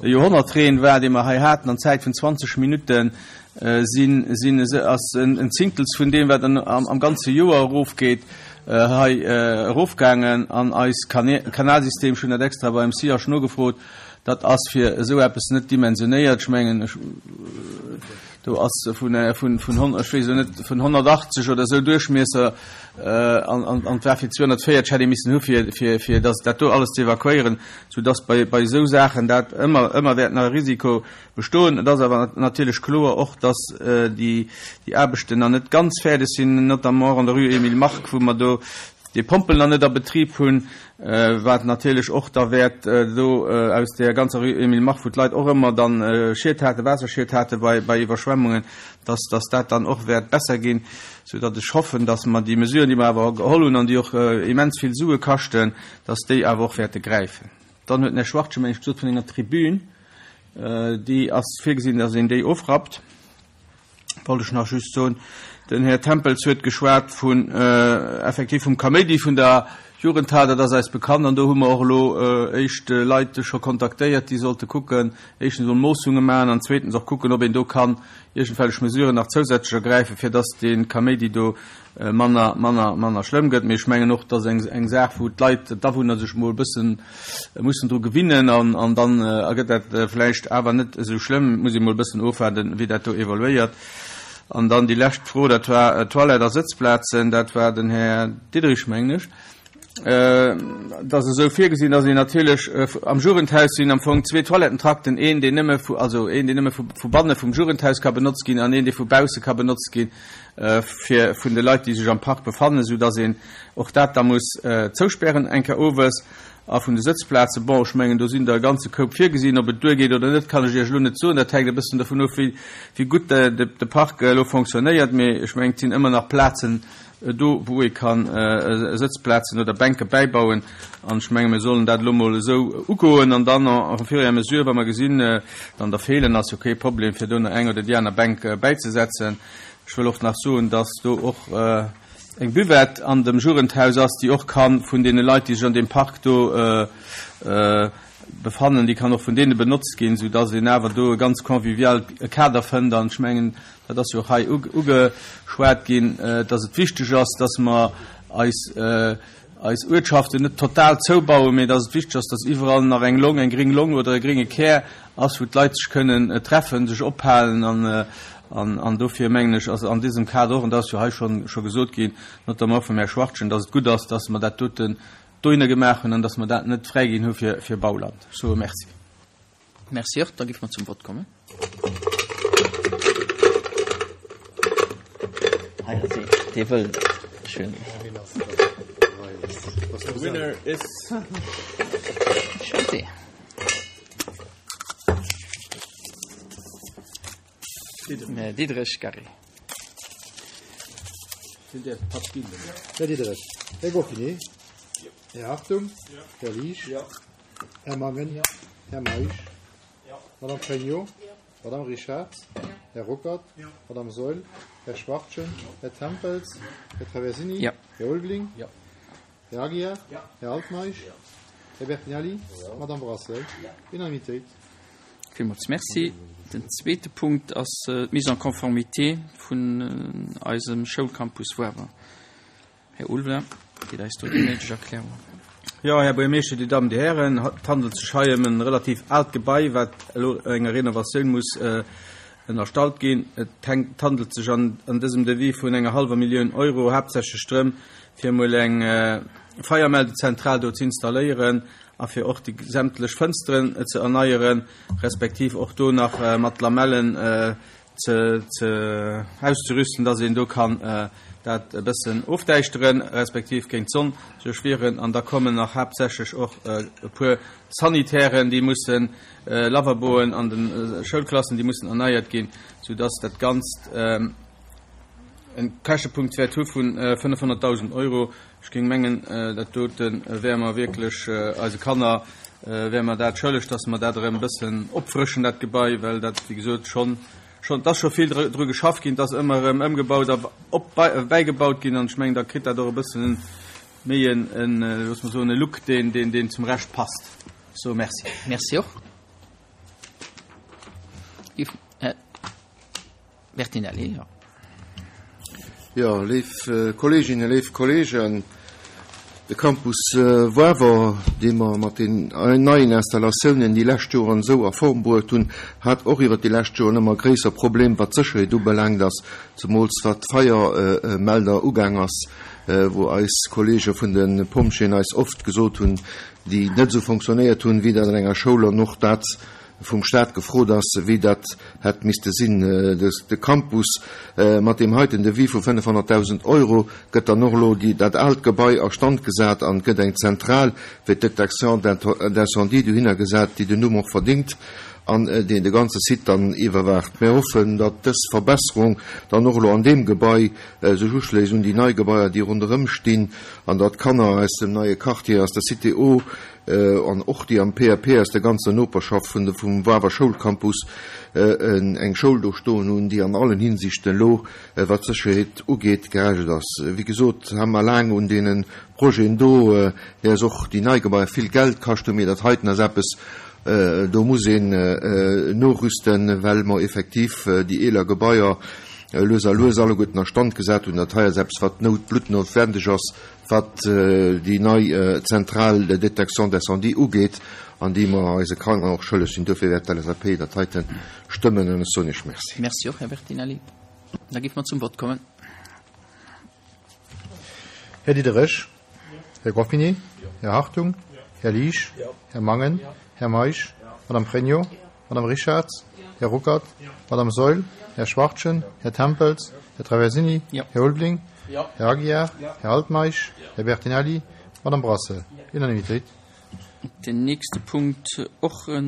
Joerhonnertreen war, dee mer hei haten an Zäit vun 20 Minutten sinn, sinn, ass en Zingtels vun deem, wat am ganze Joer erofgeet, hei erofgaangen an eis Kanalsystem, ech hunn dat extra beim SIAS nogefrot, dat ass fir esou eppes net dimensionéiert. Ech mengen, ech, do ass vun, vun, vun, ech weess elo net, vun 180 oder esou Duerchmiesser an, an, an et war fir 240 hätt ee missen hu fir, fir, fir dass dat do alles ze evakuéieren, soudass bei, bei esou Saachen dat ëmmer, ëmmer wäert nach e Risiko Bestoen. Et ass awer natierlech kloer och, dass déi Aarbechten nach net ganz fäerdeg sinn, notamment och an der Rue Emile Mark, wou mer do déi Pompel nach net a Betrib hunn, wat natierlech och da wäert do aus där ganzer Rue Emile Mark, wou d'Leit och ëmmer dann Schied haten, Waasserschied hate bei Iwwerschwemmungen, dass dass dat dann och wäert besser ginn, soudatt ech hoffen, dass mer déi Mesuren, déi mer awer geholl hunn an déi och immens vill Sue kaschten, dass déi awer och wäerte gräifen. Dann huet den Här Schwartje, meng ech, gesot vun enger Tribün. Déi ass virgesinn, dass een déi ofrappt, wollt ech nach just soen. Den Här Tempels huet geschwat vun, effektiv vum Kaméidi vun der Jugendhal. Dat ass eis bekannt an do hu mer och elo éischt Leit scho kontaktéiert, déi sollte kucken, éischtens emol Moossunge maachen an zweetens och kucken, ob een do kann iergendwellech Mesuren nach zousätzlech ergräifen, fir dass dee Kaméidi do manner, manner, manner schlëmm gëtt. Mee ech mengen och, dat ass eng, eng Saach, wou d'Leit, d'Awunner sech emol e bëssen mussen dru gewinnen an, an dann ergëtt dat vläicht awer net esou schlëmm. Et muss ee mol e bëssen ofwaarden, wéi dat do evoluéiert. An dann déi lescht Fro, dat war Toilette a Sëtzplazen. Dat war den Här Diderich, mengen ech. Et ass esou virgesinn, dass een natierlech am Jugendhaus sinn am Fong zwee Toilettentrakten, een, deen nëmme vu, also een, deen nëmme vu, vu banne vum Jugendhaus ka benotzt ginn an een, dee vu bausse ka benotzt ginn fir vun de Leit, déi sech am Park befannen, soudass een och dat da muss zouspären eng Kéier owes. A vun de Sëtzplazen, bon, ech mengen, do sinn der e ganze Koup virgesinn. Ob et duergeet oder net, kann ech Iech elo net soen. Dat hänkt e bëssen dovun of, wéi, wéi gutt de, de Park elo fonctionnéiert. Mee ech mengen, et sinn ëmmer nach Plazen do, wou ee ka Sëtzplazen oder Bänke bäibauen. An ech menge mir sollen dat elo mol esou ugoen an dann au fur et à mesure, wa mer gesinn, dann der feelen, ass jo kee Problem, fir do nach eng oder déi aner Bänk bäizesetzen. Ech wëll och nach soen, dass do och eng Buvette an dem Jugendhaus ass, déi och ka vun deene Leit, déi sech an deem Park do befannen, déi kann och vun deene benotzt ginn, soudass een awer do e ganz convivial Kader fënnt. An ech mengen, Dat ass jo och hei ugeschwat ginn, dass et wichteg ass, dass mer eis, eis Uertschaften net total zoubauen, mee dass et wichteg ass, dass iwwerall nach eng Long, eng gréng Long oder e grénge Kär ass, wou d'Leit sech kënnen treffen, sech ophalen. An, an dofir mengen ech, ass an diesem Kader och, an dat ass jo hei schonn, scho gesot ginn, notamment och vum Här Schwachtgen, dass et gutt ass, dass mer dat doten dohinner gemaach hunn an dass mer dat net fräiginn hu fir, fir Bauland. Ech soe Merci. Merci och. Da géife mer zum Vott kommen. Hei ass een, dee wëll schön. The winner is. Schön. Diderich Gary. Här Diderich, Här Goffinet, Här Hartung, Här Liesch, Här Mangen, Här Meisch, Madame Pregno, Madame Richard, Här Ruckert, Madame Saeul, Här Schwachtgen, Här Tempels, Här Traversini, Här Ulveling, Här Aguiar, Här Altmeisch, Här Bertinelli, Madame Brasseur. Unanimitéit. Villmools Merci. Den zweete Punkt ass d'Mise en conformité vun eisem Schoulcampus Woarwer. Här Ulveling geet eis do déi néideg Erklärung. Jo, Här Buergermeeschter, Dir Dammen, Dir Hären, et handelt sech hei ëm e relativ aalt Gebai, wat elo enger Renovatioun muss ënnerstallt ginn. Et hänkt, handelt sech an dësem Devis vun enger hallwer Millioun Euro haaptsächlech drëm, fir emol eng Feiermeldezentral do ze installéieren a fir och déi sämtlech Fënsteren ze erneieren, respektiv och do nach mat Lamellen ze ze auszerüsten, dass een do kann dat e bëssen ofdäischteren, respektiv géint d'Sonn sech wieren. An da kommen nach haaptsächlech och e puer Sanitären, déi mussen, Lavaboen an de Schoulklassen, déi mussen erneiert ginn, soudass dat Ganzt e Käschtepunkt wäert hu vu 500.000 Euro. Ech géing mengen, dat dote wäre mer wierklech eise Kanner. wäre mer dat schëlleg, dass mer dat erëm e bëssen opfrëschen, dat Gebai, well dat, wéi gesot, schonn, schonn, et ass scho vill dru geschafft ginn, et ass ëmmer erëm ëmgebaut a op, bäigebaut ginn an ech mengen, da kritt dat och e bëssen méi en, en, loosse mer soen, e Look, deen, deen, deen zum Rescht passt. Ech soe Merci. Merci och. Här Bertinelli, jo. Jo, léif Kolleeginnen, léif Kolleegen, de Campus Woarwer, dee mer mat den neien Installatiounen déi lescht Joren esou a Form bruet hunn, hat och iwwert déi lescht Joren ëmmer gréisser Problem wat d'Sécherheet ubelaangt ass, zemools wat d'Feiermelder ugaang ass, wou eis Kolleege vun de Pompjeeën eis oft gesot hunn, déi net esou fonctionnéiert hunn, wéi dat an enger Schoul an och dat vum Stat gefrot ass, wéi dat hätt misste sinn. De Campus mat deem heiten Devis vu 500.000 Euro gëtt dann och elo dat aalt Gebai a Stand gesat an et gëtt eng Zentral fir d'Détection d'incendie dohinner gesat, déi den Numm och verdingt an deen de ganze Site dann iwwerwaacht. Mir hoffen, datt dës Verbesserung dann och elo an deem Gebai sech uschléisst un déi nei Gebaier, déi ronderëm stinn an datt d'Kanner aus dem neie Quartier, aus der Cité O, an och déi am PAP aus der ganzer Noperschaft vun vum Wawer Schoulcampus eng Schoul do stoen hunn, déi an allen Hinsichten elo, wat d'Sécherheet ugeet, geregelt ass. Wéi gesot, hu mer laang un deene Projeten do, déi eis och déi nei Gebaier vill Geld kascht hunn, mee dat heiten ass eppes, do muss een norüsten, well mer effektiv déi eeler Gebaier lues a lues alleguerten a Stand gesat hunn. Dat hei ass eppes, wat nout bluttnotwendeg ass, wat déi nei Centrale de détection d'incendie ugeet an déi mer eise Kanner och schëlleg sinn. Duerfir wäert d'LSAP dat heite stëmmen an ech soen Iech Merci. Merci och, Här Bertinelli. Da géife mer zum Vott kommen. Här Diderich. Här Goffinet. Här Hartung. Här Liesch. Här Mangen. Här Meisch. Madame Frénio. Madame Richarz. Här Ruckert. Madame Saeul. Här Schwachtgen. Här Tempels. Här Traversini. Här Ulveling. Här Aguiar. Här Altmeisch. Här Bertinelli. Madame Brasseur. Unanimitéit. Den nächste Punkt, och e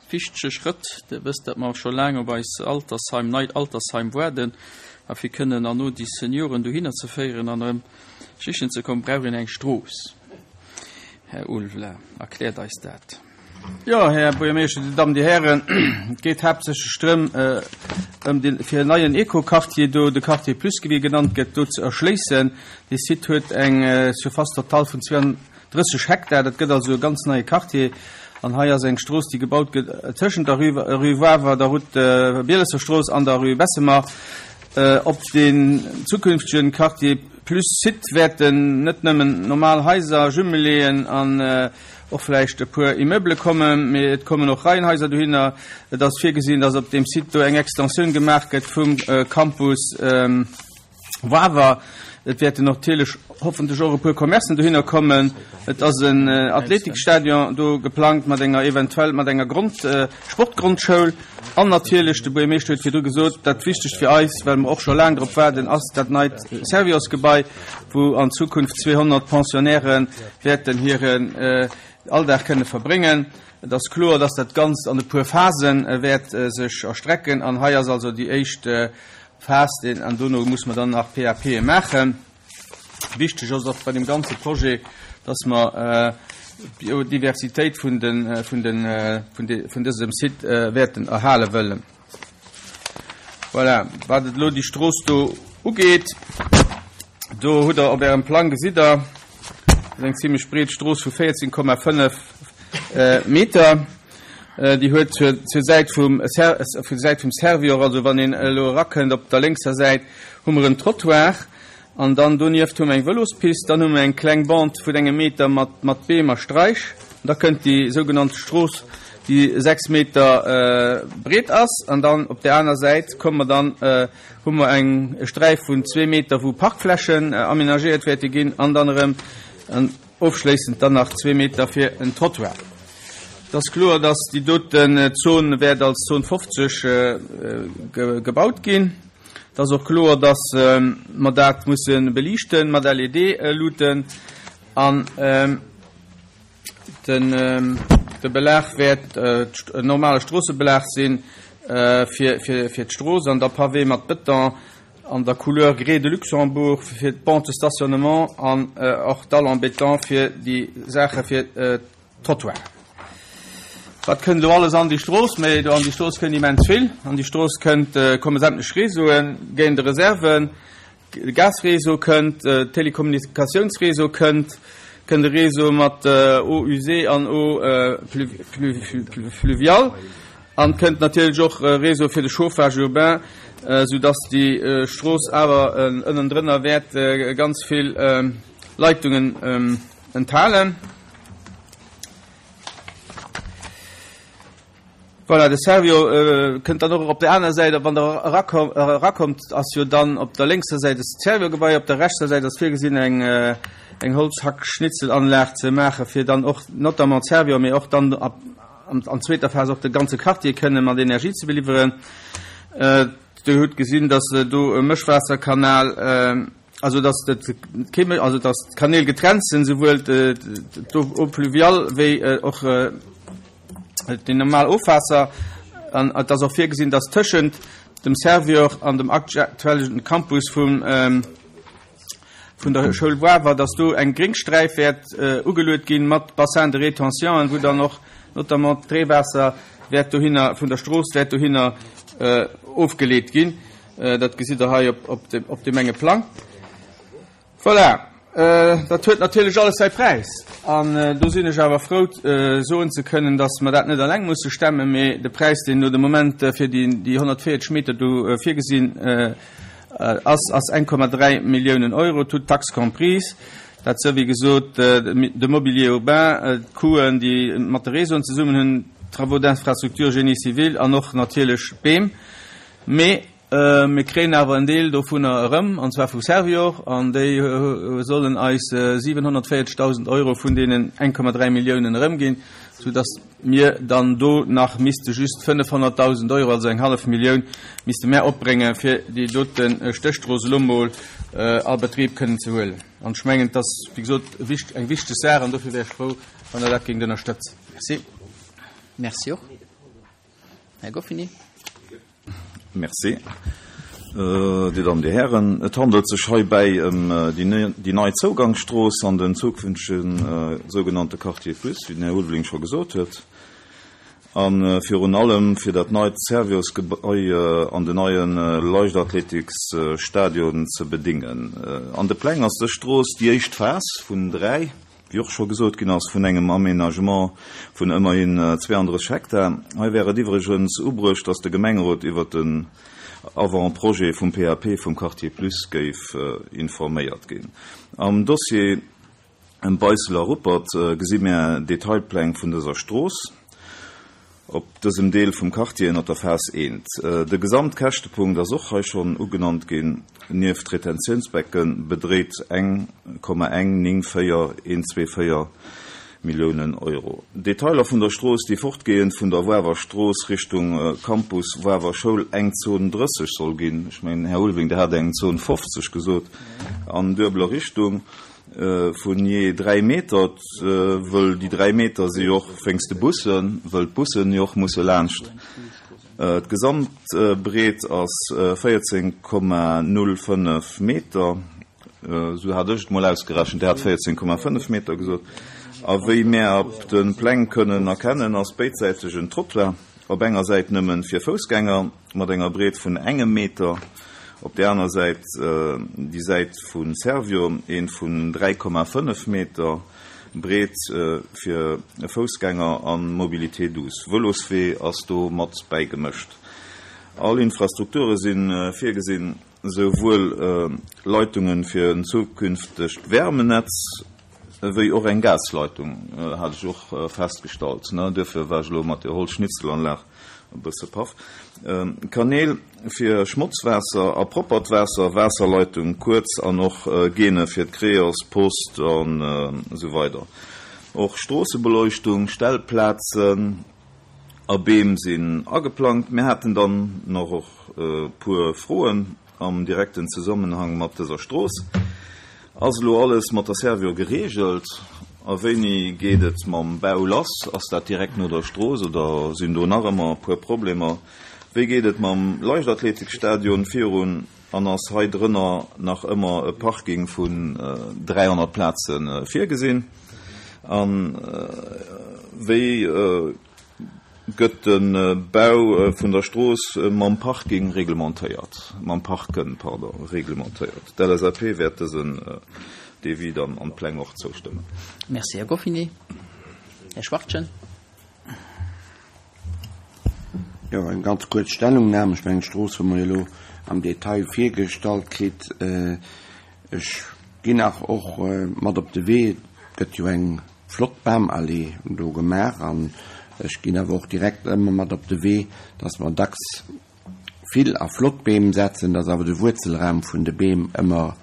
wichtege Schrëtt. Dir wësst, datt mer scho laang op eis Altersheim, neit Altersheim waarden. A fir kënnen herno déi Senioren dohinner ze féieren an erëm sichen ze kommen, brauch een eng Strooss. Här Ulveling, erkläert eis dat. Jo, Här Buergermeeschter, Dir Dammen, Dir Hären, et geet haaptsächlech drëm, ëm de fir en neien Eco-Quartier do, de Quartier Plus, wéi e genannt gëtt, do ze erschléissen. Dee Site huet eng Surface totale vun 32 Hektar. Dat gëtt also e ganz neie Quartier. An hei ass eng Strooss, déi gebaut gëtt tëschent der Rue, Rue Wawer, der Route Bielesserstrooss an der Rue Bessemer. Op deen zukünftegen Quartier Plus Site wäerten net nëmmen normal Haiser, Jumeléen an och vläicht e puer Immeubele kommen, mee et kommen och Reihenhaiser dohinner. Et ass virgesinn, dass op deem Site do eng Extensioun gemaach gëtt vum Campus Wawer. Et wäerten natierlech hoffentlech och e puer Commercen dohinner kommen. Et ass en Athletikstadion do geplangt mat enger eventuell mat enger Grond, Sportgrondschoul. An natierlech, de Buergermeeschter huet virdru gesot, dat Wichtegst fir eis, well mer och scho laang drop waarden, ass dat neit Serviosgebai, wou an Zukunft 200 Pensionnairë wäerten hiren Alldag kënne verbréngen. Et ass kloer, dass dat Ganzt an e puer Phase wäert sech erstrecken. An hei ass also déi éischt Phas, an dono muss mer dann nach PAPe maachen. Wichteg ass och bei deem ganze Projet, dass mer d'Biodiversitéit vun de, vun de, vun de, vun dësem Site wäerten erhale wëllen. Voilà, wat et elo déi Strooss do ugeet, do hutt Der op Ärem Plang, gesitt Der, dat ass eng zimlech breet Strooss vu 14,5 Meter. Déi huet zur, zur Säit vum, vun Säit vum Servior, also wann een elo erakënnt op der lénkser Säit, hu mer en Trottoir. An dann donieft hu mer eng Vëlospist, dann hu mer eng kleng Bande vun engem Meter mat, mat Beem a Straich. An da kënnt déi sougenannte Strooss, déi 6 Meter breet ass. An dann op där aner Säit komme mer dann, hu mer eng, e Sträif vun zwee Meter, wou Parkflächen aménagéiert wäerte ginn. An dann erëm ofschléissend dann nach zwee Meter fir en Trottoir. Et ass kloer, dass déi doten Zon wäert als Zon 50 gebaut ginn. Et ass och kloer, dass mer dat musse beliichte mat LED-Luuten an de Belag wäert en normale Stroossebelag si fir d'Strooss an da Pavé mat Bëton an der Couleur Grès de Luxembourg fir d'Bancs de stationnement an och Dalle en béton fir déi Saache fir d'Trottoiren. Wat kënnt elo alles an déi Strooss? Mee do an déi Strooss kënnt immens vill. An déi Strooss kënnt, komme sämtlech Réseauen, Gaine de réserven, de Gasréseau kënnt, Telekommunikatiounsréseau kënnt, kënnt e Réseau mat Eaux usées an Eaux fluviales an kënnt natierlech och e Réseau fir de Chauffage urbain, soudass déi Strooss awer ënnendrënner wäert ganz vill Leitungen enthalen. Voilà, de Servior kënnt dann och op der aner Säit, wann Der erakommt, ass jo dann op der lénkser Säit de Servior-Gebai, op der rechter Säit ass virgesinn, eng eng Holzhackschnitzelanlag ze maachen, fir dann och notamment Servior, mee och dann an zweeter Phas och de ganze Quartier kënne mat Energie ze beliwweren. Dir hutt gesinn, dass do e Mëschwaasserkanal, Also dass dat kee méi, also dass d'Kanäl getrennt sinn, souwuel d'Eau pluviale wéi och déi normal Ofwaasser. An et ass och virgesinn, dass tëschent dem Servior an dem aktuellen Campus vum vun der Schoul Wawer, dass do eng Gréngsträif wäert ugeluet ginn mat Bassin de rétention, wou dann och notamment d'Reewaasser wäert dohinner vun der Strooss wäert dohinner ofgeleet ginn. Dat gesitt Der hei op deem enge Plang. Voilà, dat huet natierlech alles säi Präis. An do sinn ech awer frou, soen ze kënnen, datt mer dat net eleng musse stemmen, mee de Präis, deen elo de Moment fir déi 140 Meter do virgesinn ass, ass 1,3 Milliounen Euro, toutes taxes comprises. Dat sou, wéi gesot, de Mobilier urbain, d'Coûten, déi mat de Réseauen zesummen hunn, d'Travaux d'infrastructure, Génie civil an och natierlech d'Beem. Mee mir kréien awer en Deel dovunner erëm, an zwar vu Servior, an déi sollen eis 740.000 Euro vun deenen 1,3 Milliounen erëmginn, soudass mir dann do nach misste just 500.000 Euro, also eng hallef Millioun, misste mär opbréngen, fir déi dote Stéchstrooss elo mol a Betrib kënnen ze huelen. An ech mengen, et ass, wéi gesot, eng wichteg Saach, an dofir wär ech frou, wann Der dat géingt ënnerstëtzen. Merci. Merci och. Här Goffini. Merci. Dir Dammen, Dir Hären, et handelt sech heibäi ëm déi nei Zougangsstrooss an den zukünftege sougenannte Quartier Plus, wéi den Här Ulveling scho gesot huet, a virun allem fir dat neit Servior-Gebai an den neie Leichtathletiksstadion ze bedéngen. An de Pläng ass dës Strooss déi éischt Phas vun 3. Wéi och scho gesot ginn ass, vun engem Aménagement vun ëmmerhin 32 Hektar. Hei wär et iwwregens ubruecht, dass de Gemengerot iwwert den Avant-projet vum PAP vum Quartier Plus géif informéiert ginn. Am Dossier ëm Beissel a Ruppert gesi mär Detailpläng vun dëser Strooss. Op dësem Deel vum Quartier ënnert der Phas I. De Gesamtkäschtepunkt ass och hei schonn ugenannt ginn, nieft Retentiounsbecke bedréit 1,194124 Milliounen Euro. Detailer vun der Strooss, déi fortgehend vun der Wawer Strooss Richtung Campus Wawer Schoul eng Zon 30 soll ginn, ech mengen, Här Ulveling, Der hat eng Zon 50 gesot, an duebeler Richtung, Vun jee 3 Meter, wëll déi 3 Meter si jo och wéinst de Bussen, wëll d'Bussen jo och musse laanscht. D'Gesamtbreet ass 14,05 Meter, esou hat ech et mol ausgerechent, Dir hat 14,5 Meter gesot. A wéi mär op de Pläng kënnen erkennen, ass béidsäiteg en Trottoir, op enger Säit nëmmen fir Foussgänger, mat enger Breet vun engem Meter, op där aner Säit, déi Säit vu Servior, een vun 3,5 Meter Breet fir Foussgänger a Mobilité douce. Vëloswee ass do mat bäigemëscht. All Infrastrukture si virgesinn, souwuel Leitunge fir en zukünftegt Wärmenetz, ewéi och eng Gasleitung, hat ech och festgestallt. Duerfir war ech elo mat der Holzschnitzelanlag E bësse Paff. Kanäl fir Schmotzwaasser a proppert Waasser, Waasserleitung kuerz an och Gene fir d'Creos, Post an esou weider. Och Stroossebeleuchtung, Stellplazen a Beem sinn ageplangt. Mir haten dann nach och e puer Froen. Am direkten Zesummenhang mat dëser Strooss. Ass elo alles mat der Servior gereegelt? A wéini geet et mam Bau lass? Ass dat direkt no der Strooss oder sinn do nach ëmmer e puer Problemer? Wéi geet et mam Leichtathletikstadion virun an ass hei drënner nach ëmmer e Parking vun 300 Plaze virgesinn? A wéi. gëtt de Bau vun der Strooss mam Parking reglementéiert, mam Parken, pardon, reglementéiert. D'LSAP wäert dësen Devis dann an d'Pläng och zoustëmmen. Merci, Här Goffinet. Här Schwachtgen. Jo, eng ganz kuerz Stellungnahme. Ech mengen, d'Strooss hu mer jo elo am Detail virgestallt kritt. Ech ginn nach och mat op de Wee, et gëtt jo eng flott Bamallee do gemaach an ech ginn awer och direkt ëmmer mat op de Wee, dass mer dacks vill a flott Beem setzen, dass awer de Wuerzelraum vun de Beem ëmmer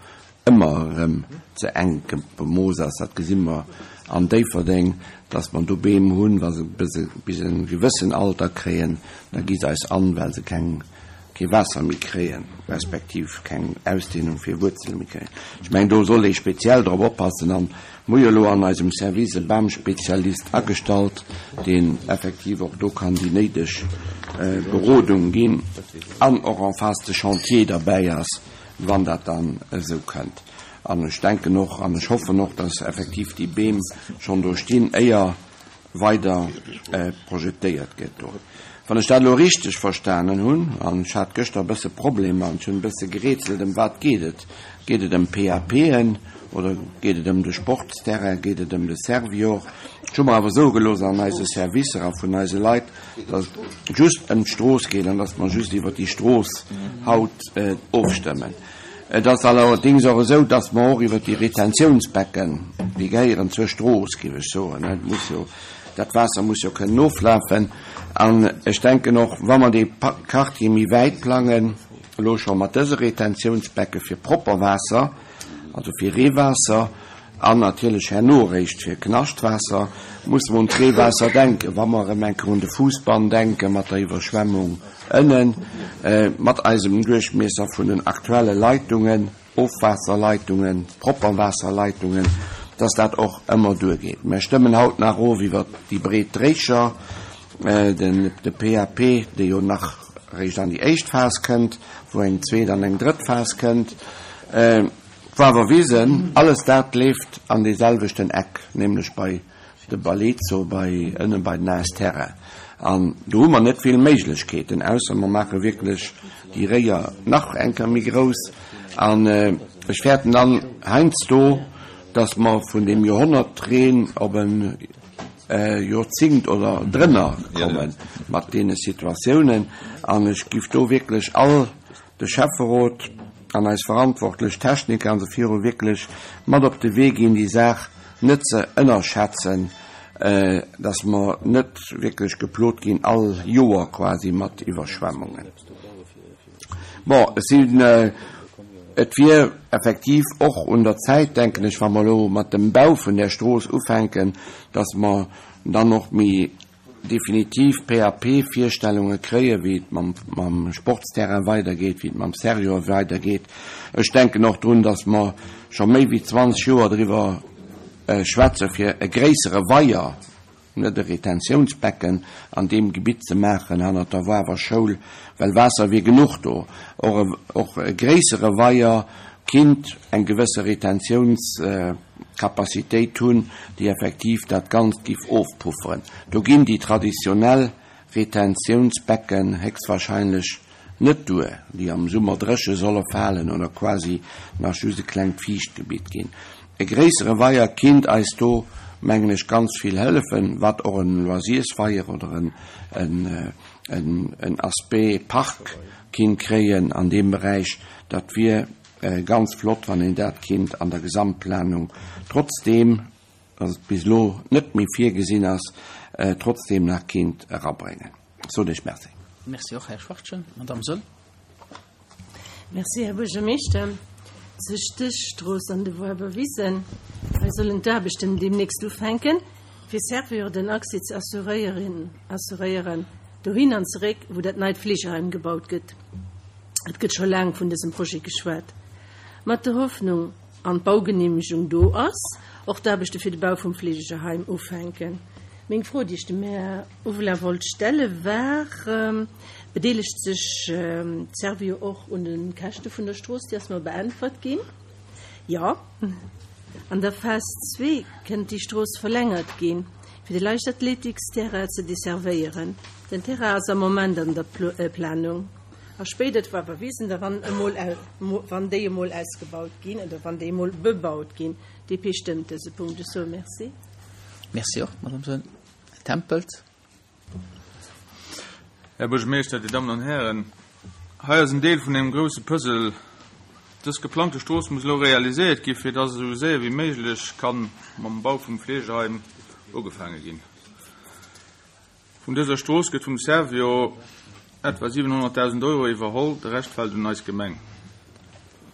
ëmmer erëm ze enk bemooss ass. Dat gesi mer an Déifferdeng, dass mer do Beem hunn, wa se bis e gewëssen Alter kréien, da gi se eis an, well se keng, kee Waasser méi kréien, respektiv keng Ausdehnung fir Wuerzele méi kréien. Ech mengen, do soll ee speziell drop oppassen. An mer hu jo elo an eisem Service e Bamspezialist agestallt, deen effektiv och do kann déi néideg Berodung ginn an och en face de chantier derbäi ass, wann dat dann esou kënnt. An ech denken och an ech hoffen och, dass effektiv déi Beem schonn do stinn, éier weider projetéiert gëtt do. Wann ech dat elo richteg verstanen hunn, an ech hat gëschter e bësse Problemer an ech hunn e bësse gerätselt, ëm wat geet et? Geet et ëm PAPen oder geet et ëm de Sportsterrain, geet et ëm de Servior? Ech hu mer awer soe gelooss an eise Servicer a vun eise Leit, dass et just ëm d'Strooss geet an dass mer just iwwert déi Strooss haut ofstëmmen. Et ass allerdéngs och esou, dass mer och iwwert déi Retentiounsbecken, déi gehéieren zur Strooss, géif ech soen, et muss jo, dat Waasser muss jo kënnen oflafen. An ech denken och, wa mer dee Quartier méi wäit plangen, elo scho mat dëse Retentiounsbecke fir propper Waasser, also fir Reewaasser, An natierlech herno eréischt fir Knaschtwaasser musse mer un d'Reewaasser denken, wa mer erëm eng Kéier un de Fuussbann denke mat der Iwwerschwemmung ënnen, mat eisem Duerchmiesser vun den aktuelle Leitungen, Ofwaasserleitungen, Propperwaasserleitungen, dass dat och ëmmer duergeet. Mer stëmmen haut nach of iwwert déi breet Dréicher, de PAP, dee jo nach eréischt an déi éischt Phas kënnt, wou eng zweet an eng drëtt Phas kënnt. D'Wawer Wisen, alles dat leeft an dee selwechten Eck, nämlech bei de Balezo, bei ënne bei den AS Terrain. An do hu mer net vill Méiglechkeeten, ausser mer maache wierklech déi Réier nach eng Kéier méi grouss. An ech fäerten dann heiansdo, dass mer vun deem Joerhonnertreen op e Joerzéngt oder drënner komme mat deene Situatiounen. An ech giff do wierklech all de Schäfferot an eis verantwortlech Techniker an esou viru wierklech mat op de Wee ginn, déi Saach net ze ënnerschätzen, dass mer net wierklech geplot ginn all Joer quasi mat Iwwerschwemmungen. Bon, ech sinn, et wier effektiv och un der Zäit, denken ech, wa mer elo mat dem Bau vun där Strooss ufänken, dass mer dann och méi definitiv PAP-Virstellunge kréien, wéi et mam Sportsterrain weidergeet, wéi et mam Servior weidergeet. Ech denken och drun, dass mer scho méi wéi 20 Joer driwwer schwätze fir e gréissere Weier, net e Retentiounsbecken, an deem Gebitt ze maachen hannert der Wawer Schoul, well Waasser wier genuch do. Och e gréissere Weier kinnt eng gewësse Retentiouns. Capacitéit hunn, déi effektiv dat Ganzt giff ofpufferen. Do ginn déi traditionell Retentiounsbecken héchstwahrscheinlech net duer, déi am Summer dréche solle falen oder quasi nach just e klengt Fiichtgebitt ginn. E gréissere Weier kinnt eis do, mengen ech, ganz vill hëllefen, wat och en Loisirsweier oder en Aspect Park kinnt kréien an deem Beräich. Dat wier Ganz flott, wann een dat kinnt an der Gesamtplanung, trotzdeem dass et bis elo net méi virgesinn ass, trotzdeem nach kinnt erabréngen. Ech soen Iech Merci. Merci och, Här Schwachtgen. Madamm Söll. Merci, Här Buergermeeschter. Zur Stéchstrooss an de Woarwerwisen, hei sollen d'Aarbechten deemnächst ufänken, fir Servior den Accès ze assuréieren, dohin an zeréck, wou dat neit Fleegeheim gebaut gëtt. Et gëtt scho laang vun dësem Projet geschwat. Mat der Hoffnung, an d'Baugeneemegung do ass, och d'Aarbechte fir de Bau vum Fleegeheim ufänken. Meng Fro, déi ech dem Här Uwela wollt stelle war, Bedeelegt sech d'Servio och un de Käschte vun der Strooss? Déi ass mer beäntwert ginn, Jo. An der Phas zwee kënnt déi Strooss verlängert ginn, fir de Leichtathletiksterrain ze desservéieren. Den Terrain ass am Moment an der Planung. A spéider d'Wawerwisen da wann emol wann déi emol ausgebaut ginn oder wann déi emol bebaut ginn. DP stëmmt dëse Punkt. Ech soe Merci. Merci och, Madame Soen. Här Tempels. Här Buergermeeschter, Dir Dammen an Hären, hei ass en Deel vun engem grouse Puzzle. Dës geplangte Strooss muss elo realiséiert gi fir dass esou séier wéi méiglech kann mam Bau vum Fleegeheim ugefaange ginn. Vun dëser Strooss gëtt vum Servior etwa 700.000 Euro iwwerholl, de Rescht fält un eis Gemeng.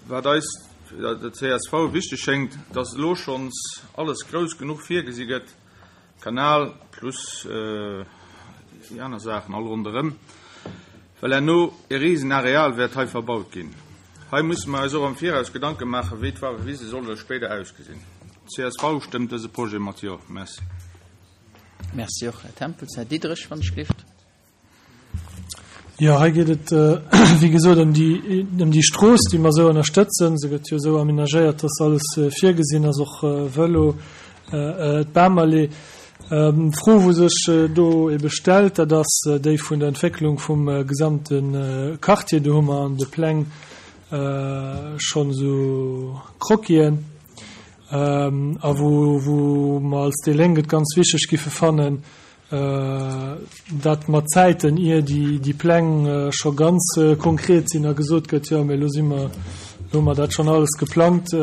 Wat eis, der csv, wichteg schéngt, dass elo schonns alles grouss genuch virgesi gëtt, Kanal plus déi aner Saachen all ronderëm, well herno e risen Areal wäert hei verbaut ginn. Hei musse mer eis och am Viraus Gedanke maachen, wéi d'Wawerwise solle spéider ausgesinn. D'CSV stëmmt dëse Projet mat Jo. Merci. Merci och, Här Tempels. Här Diderich, wann ech gelift. Jo, hei geet et, wéi gesot, ëm déi, ëm déi Strooss, déi mer esou ënnerstëtzen. Se gëtt jo esou aménagéiert, dass alles virgesinn ass, och Vëlo, d'Bamallee. D'Fro, wou sech do ebe stellt, dat ass déi vun der Entwécklung vum gesamte Quartier. Do hu mer an de Pläng schonn esou Croquisen. A wou, wou mer als déi Lénk et ganz wichteg giffe fannen, dat mat Zäiten, ier déi, déi Pläng scho ganz konkret sinn a gesot gëtt, jo, mee elo si mer, elo hu mer dat schonn alles geplangt,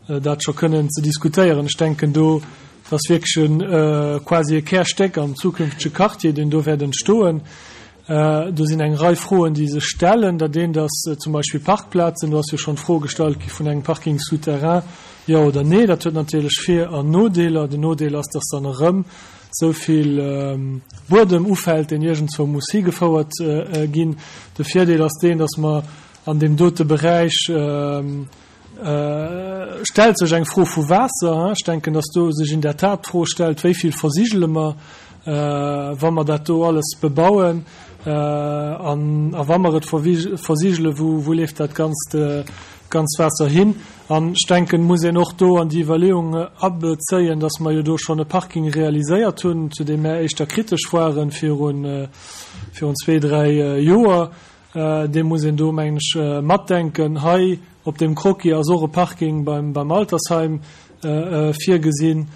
dat scho kënnen ze diskutéieren. Ech denken do, dat ass wierklech e quasi e Kärstéck am zukünftege Quartier, deen do wäert entstoen. Do sinn eng Rei Froen, déi sech stellen. Dat eent ass zum Beispill Parkplazen. Do ass jo schonn d'Fro gestallt gi vun engem Parking souterrain, jo oder nee. Dat huet natierlech Vir an Nodeeler. Den Nodeel ass, dass dann erëm esou vill Buedem ufält, deen iergendzwou muss higefouert ginn. De Virdeel ass deen, dass mer an deem dote Beräich, stellt sech eng Fro vu Waasser. Ech denken, dass do sech in der Tat d'Fro stellt, wéi vill versigele mer, wa mer dat do alles bebauen? An a wa mer et versigele, wou leeft dat ganzt, ganz Waasser hin? An ech denken, muss een och do an déi Iwwerleeung abezéien, dass mer jo do schonn e Parking realiséiert hunn, zu deem mär éischter kritesch waren virun, virun zwee, dräi Joer. Dee muss een do, mengen ech, matdenken. Hei op deem Croquis ass och e Parking beim Altersheim virgesinn.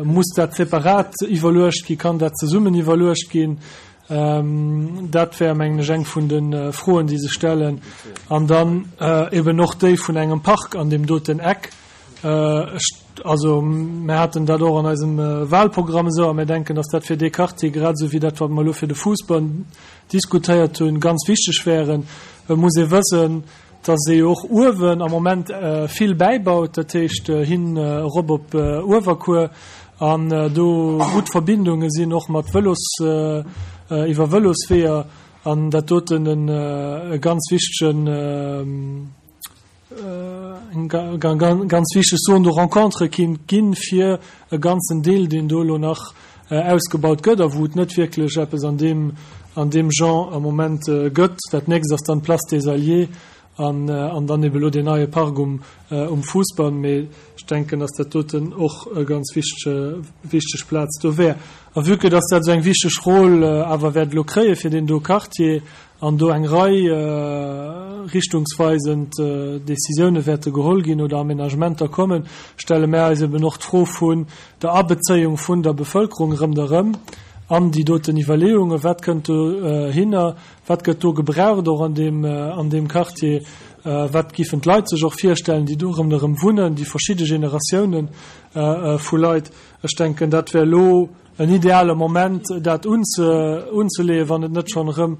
Muss dat separat iwwerluecht ginn? Kann dat zesummen iwwerluecht ginn? Dat wär, mengen ech, eng vun de Froen, déi sech stellen. An dann eben och déi vun engem Park an deem doten Eck. Ech Also, mir haten dat och an eisem Wahlprogramm esou a mir denken, dass dat fir dee Quartier, grad esou wéi dat, wat mer elo fir de Fousbann diskutéiert hunn, ganz wichteg wären. Et muss ee wëssen, dass ee jo och uewen am Moment vill bäibaut, dat heescht hin erop op Uewerkuer, an do gutt Verbindunge sinn och mat Vëlos, iwwer Vëlosweeër, an dat doten e ganz wichtegen, eng ganz wichteg Zone de rencontre kinnt ginn fir e ganzen Deel, deen do elo nach ausgebaut gëtt a wou et net wierklech eppes an deem, an deem Genre am Moment gëtt. Dat nächst ass dann d'Place des Alliés an, an dann ebe elo deen neie Park um, um Fousbann. Mee ech denken, dass dat doten och e ganz wichtege, wichteg Plaz do wär. A vue que dass dat esou eng wichteg Rôle awer wäert elo kréie fir deen do Quartier, an do eng Rei richtungsweisend Décisioune wäerte geholl ginn oder Aménagementer kommen, stelle mär eis eben och d'Fro vun der Abezéiung vun der Bevölkerung erëm derëm an déi doten Iwwerleeungen, Wat kënnt dohinner? Wat gëtt do gebraucht och an deem, an deem Quartier? Wat giffen d'Leit sech och virstellen, déi do erëm derëm wunnen, déi verschidde Generatiounen vu Leit? Ech denken, dat wär elo en ideale Moment, dat unzeleeën, wann et net schonn erëm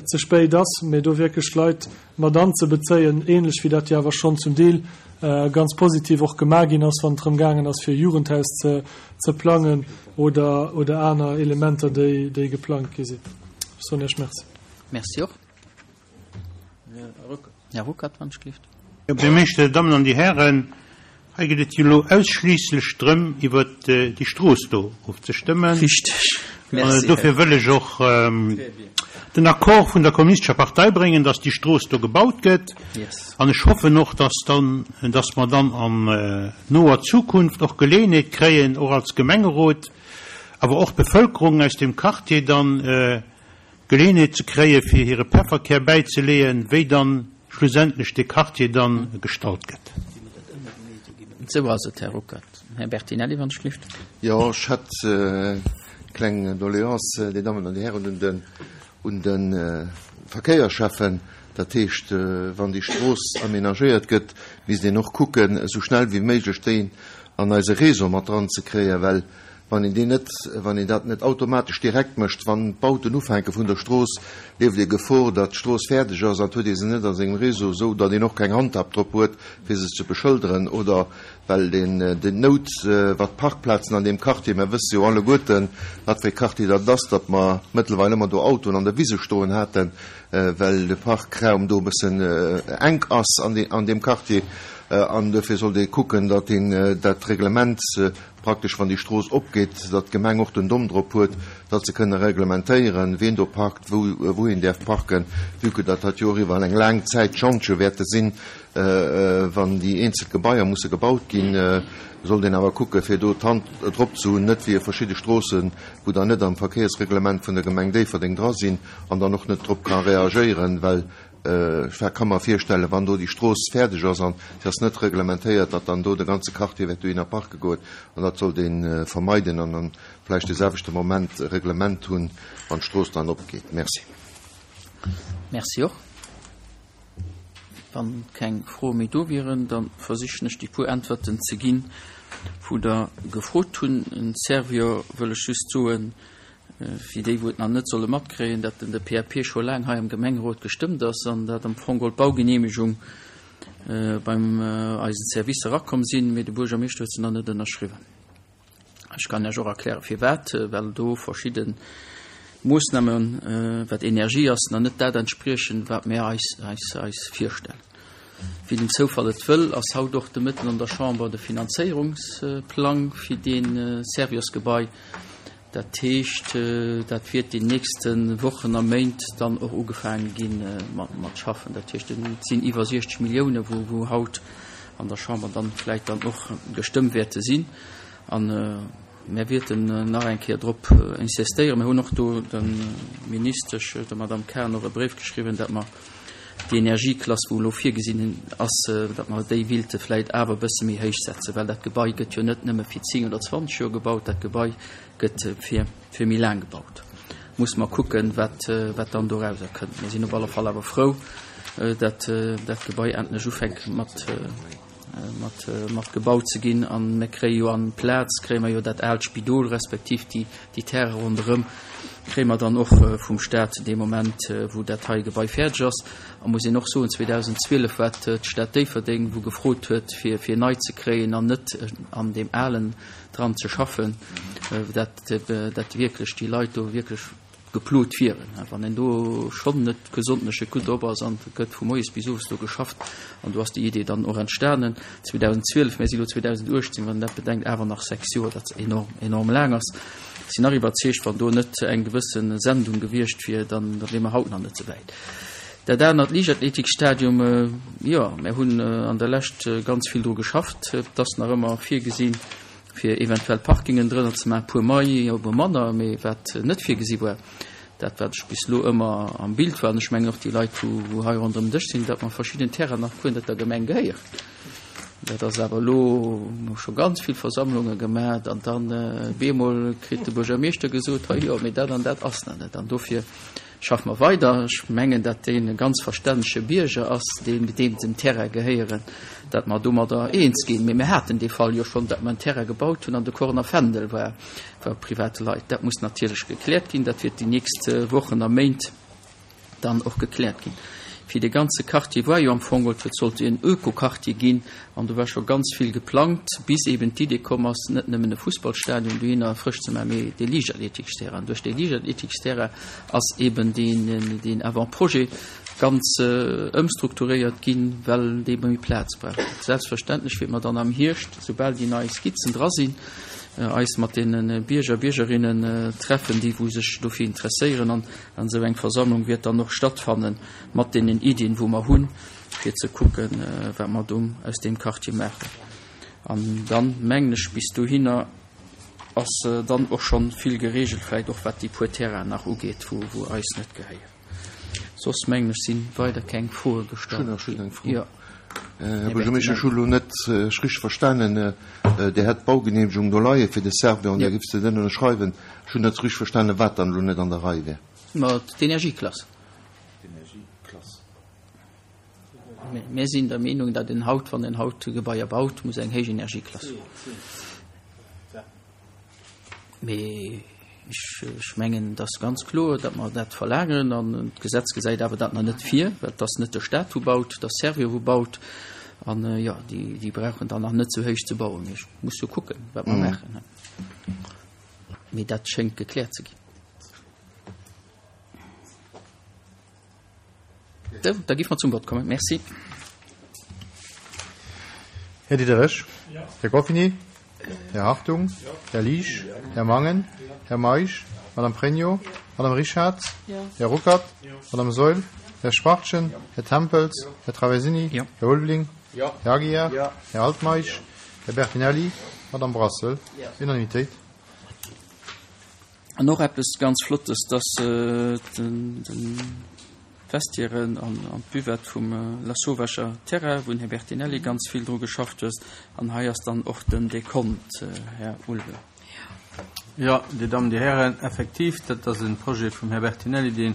ze spéit ass, mee do wierklech d'Leit mat anzebezéien, ähnlech wéi dat jo awer schonn zum Deel ganz positiv och gemaach ginn ass, wann et drëm gaangen ass, fir e Jugendhaus ze plangen oder aner Elementer, déi geplangt gi sinn. Ech soen Iech Merci. Merci och. Här Ruckert, wann ech gelift. Här Buergermeeschter, Dir Dammen an Dir Hären, hei geet et jo elo ausschliisslech drëm, iwwert déi Strooss do ofzestëmmen. Richteg. Merci. Dofir wëll ech och den Accord vun der Kommunistescher Partei bréngen, dass déi Strooss do gebaut gëtt. An ech hoffen och, dass dann, dass mer dann an noer Zukunft och Geleeënheet kréien, och als Gemengerot. awer och d'Bevëlkerung aus deem Quartier dann Geleeënheet ze kréie fir hire Pefferkär bäizeleeën, wéi dann schlussendlech dee Quartier dann gestalt gëtt. Esou ass et, Här Ruckert. Här Bertinelli, wann ech gelift. Jo, ech hätt eng kleng Doléance, Dir Dammen an Dir Hären, un den, un de Verkéierschäffen. Dat heescht, wann déi Strooss aménagéiert gëtt, misst een och kucken, esou schnell wéi méiglech déi an eise Réseau mat dran ze kréien, well Wann een deen net, wann een dat net automatesch direkt mécht, wann d'Bauten ufänke vun der Strooss, leeft ee Gefor, datt d'Strooss fäerdeg ass an et huet ee se net a sengem Réseau, esou datt een och keng Handhab drop huet, fir se ze beschëlderen oder well deen, déi Nout, wat d'Parkplazen an deem Quartier, mer wësse jo alleguerten, wat fir ee Quartier dat ass, datt mer mëttlerweil ëmmer do Autoen an der Wise stoen haten, well de Parkraum do e bëssen enk ass an deem Quartier. An duerfir sollt ee kucken, datt een dat Reglement praktesch wann déi Strooss opgeet, datt d'Gemeng och den Domm drop huet, datt se kënne reglementéieren, wien do parkt, wou wou een däerf parken, vue que datt dat jo och iwwer eng laang Zäit Schantje wäerte sinn, wann déi eenzel Gebaier musse gebaut ginn, sollt een awer kucke fir do d'Hand drop ze hunn, net wéi verschidde Stroossen, wou dann net am Verkéiersreglement vun der Gemeng Déifferdeng dra sinn an dann och net drop ka reagéieren, well Ech ka mer virstellen, wann do déi Strooss fäerdeg ass an se ass net reglementéiert, datt dann do de ganze Quartier wäert dohinner parke goen. An dat sollt ee vermeiden an dann vläicht de selwechte Moment e Reglement hunn, wann d'Strooss dann opgeet. Merci. Merci och. Wann keng Froe méi do wieren, da versichen ech déi puer Äntwerten ze ginn, wou Der gefrot hunn. En Servior wëll ech just soen, Fir déi, wou et nach net solle matkréien, datt den de PAP scho laang hei am Gemengerot gestëmmt ass an datt am Fong geholl d'Baugenehmegung beim eisen Service erakomm sinn, mee de Buergermeeschter huet se nach net ënnerschriwwen. Ech kann Iech och erkläre firwat, well do verschidde Moossnamen, wat Energie ass, nach net dat entspriechen, wat mir eis eis eis virstellen. Wéi den Zoufall et wëll, ass haut och de Mëtten an der Chamber de Finanzéierungsplang fir dee Serviosgebai Dat heescht, dat wiert déi nächste Wochen a Méint dann och ugefaange gi mat schaffen. Dat heescht, et sinn iwwer 60 Millioune wou haut an der Chamber dann vläicht dann och gestëmmt wäerte sinn. A mär wierten nach eng Kéier drop insistéieren. Mir hunn och do der Ministesch, der Madame Cahen, och e Bréif geschriwwen, datt mer déi Energieklass, wou elo virgesinn ass, datt mer déi willte vläit awer e bësse méi héich setzen, well dat Gebai gëtt jo net nëmme fir 10 oder 20 Joer gebaut, dat Gebai gëtt fir, fir méi laang gebaut. Musse mer kucken, wat, wat dann dorauser kënnt. Mir sinn op alle Fall awer frou, datt dat Gebai endlech ufänkt mat, mat, mat gebaut ze ginn. A mir kréie jo an Plaz, kréie mer jo dat aalt Spidol, respektiv déi, déi Terraine ronderëm, kréie mer dann och vum Stat dee Moment, wou dat hei Gebai fäerdeg ass. A muss een och soen, 2012 war et d'Stad Déifferdeng, wou gefrot huet, fir, fir nei ze kréien an net an deem alen dran ze schaffen, dat, dat wierklech déi Leit do wierklech geplot wieren. Wann een do schonn net gesondneche gutt drop ass an et gëtt vu moies bis owes do geschafft an do ass déi Idee dann och entstanen 2012, mir si lo 2018, wann een dat bedenkt, awer nach 6 Joer, dat enorm, enorm laang ass. Ech sinn nach iwwerzeegt, wann do net eng gewësse Sendung gewiescht wier, dann da wier mer haut nach net esou wäit. Dat anert, Liichtathletikstadium, jo, mir hunn an der Lescht ganz vill dru geschafft. Et ass nach ëmmer virgesinn, fir eventuell Parkingen drënner ze maachen, e puer mei, e puer manner, mee wat net virgesi war, dat wat ech bis elo ëmmer am Bild war, an ech mengen och déi Leit, wou wou hei ronderëm den Dësch sinn, datt mer verschidden Terrainen nach guer net der Gemeng gehéieren. Dat ass awer elo, hu scho ganz vill Versammlunge gemaach an dann bemol kritt de Buergermeeschter gesot, hei jo, mee dat an dat ass nach net. An dofir Schaffe mer weider. Ech mengen, dat deen e ganz verstännege Bierger ass, deen deem den Terrain gehéieren, dat mer domadder eens ginn. Mee mir haten dee Fall jo schonn, dat mer en Terrain gebaut hunn an de Corner Fändel war war private Leit. Dat muss natierlech gekläert ginn. Dat wäert déi nächst Wochen a Méint dann och gekläert ginn. Fir dee ganze Quartier war jo am Fong, et sollt en Ökoquartier ginn an do war scho ganz vill geplangt, bis eben d'Idee komm ass, net nëmmen e Fussballstadion dohinner frësch ze maachen, mee dee Liichtathletiksterrain. Duerch dee Liichtathletiksterrain ass eben deen, deen Avant-projet ganz ëmstrukturéiert ginn, well dee méi Plaz brauch. Selbstverständlech wäerte mer dann am Hierscht, soubal déi nei Skizzen dra sinn, eis mat deene Bierger, Biergerinnen treffen, déi wou sech dofir interesséieren an An esou eng Versammlung wäert dann och stattfanne mat deenen Iddien, wou mer hunn, fir ze kucken, wat mer do aus deem Quartier maachen. An dann, mengen ech, bis dohinner. ass dann och schonn vill geregelt, vläicht och wat déi puer Terrainen nach ugeet, wou wou eis net gehéieren. Soss mengen ech sinn weider keng Froe gestallt ginn. Jo. Här Buergermeeschter, ech hu lo net richteg verstanen, Dir hätt d'Baugenehmegung do leie fir de Servior an Dir giff se net ënnerschreiwen. Ech hunn net richteg verstanen, wat dann elo net an der Rei wär. Ma d'Energieklass. D'Energieklass. Mir sinn der Meenung, datt een haut, wann een haut Gebaier baut, muss eng héich Energieklass hunn. Mee ech mengen, et ass ganz kloer, datt mer dat verlaangen. An d'Gesetz gesäit awer dat nach net vir, well et ass net de Stat wou baut, et ass Servior wou baut. An jo, déi brauchen dann nach net esou héich ze bauen. Mee ech muss jo kucken, wat mer maachen. Mee dat schéngt gekläert ze ginn. Sou, da giff mer zum Vott kommen. Merci. Här Diderich. Här Goffini. Här Hartung. Här Liesch. Här Mangen. Här Meisch. Madame Pregno. Madame Richard. Här Ruckert. Madame Saeul. Här Schwachtgen. Här Tempels. Här Traversini. Här Ulveling. Här Aguiar. Här Altmeisch. Här Bertinelli. Madame Brassel. Unanimitéit. An och eppes ganz Flottes, dass d'Vestiairen an d'Buvette vum Lasauvescher Terrain, wou den Här Bertinelli ganz vill dru geschafft huet. An hei ass dann och den Dekont, Här Ulveling. Jo, Dir Dammen, Dir Hären, effektiv, dat ass e Projet vum Här Bertinelli, deen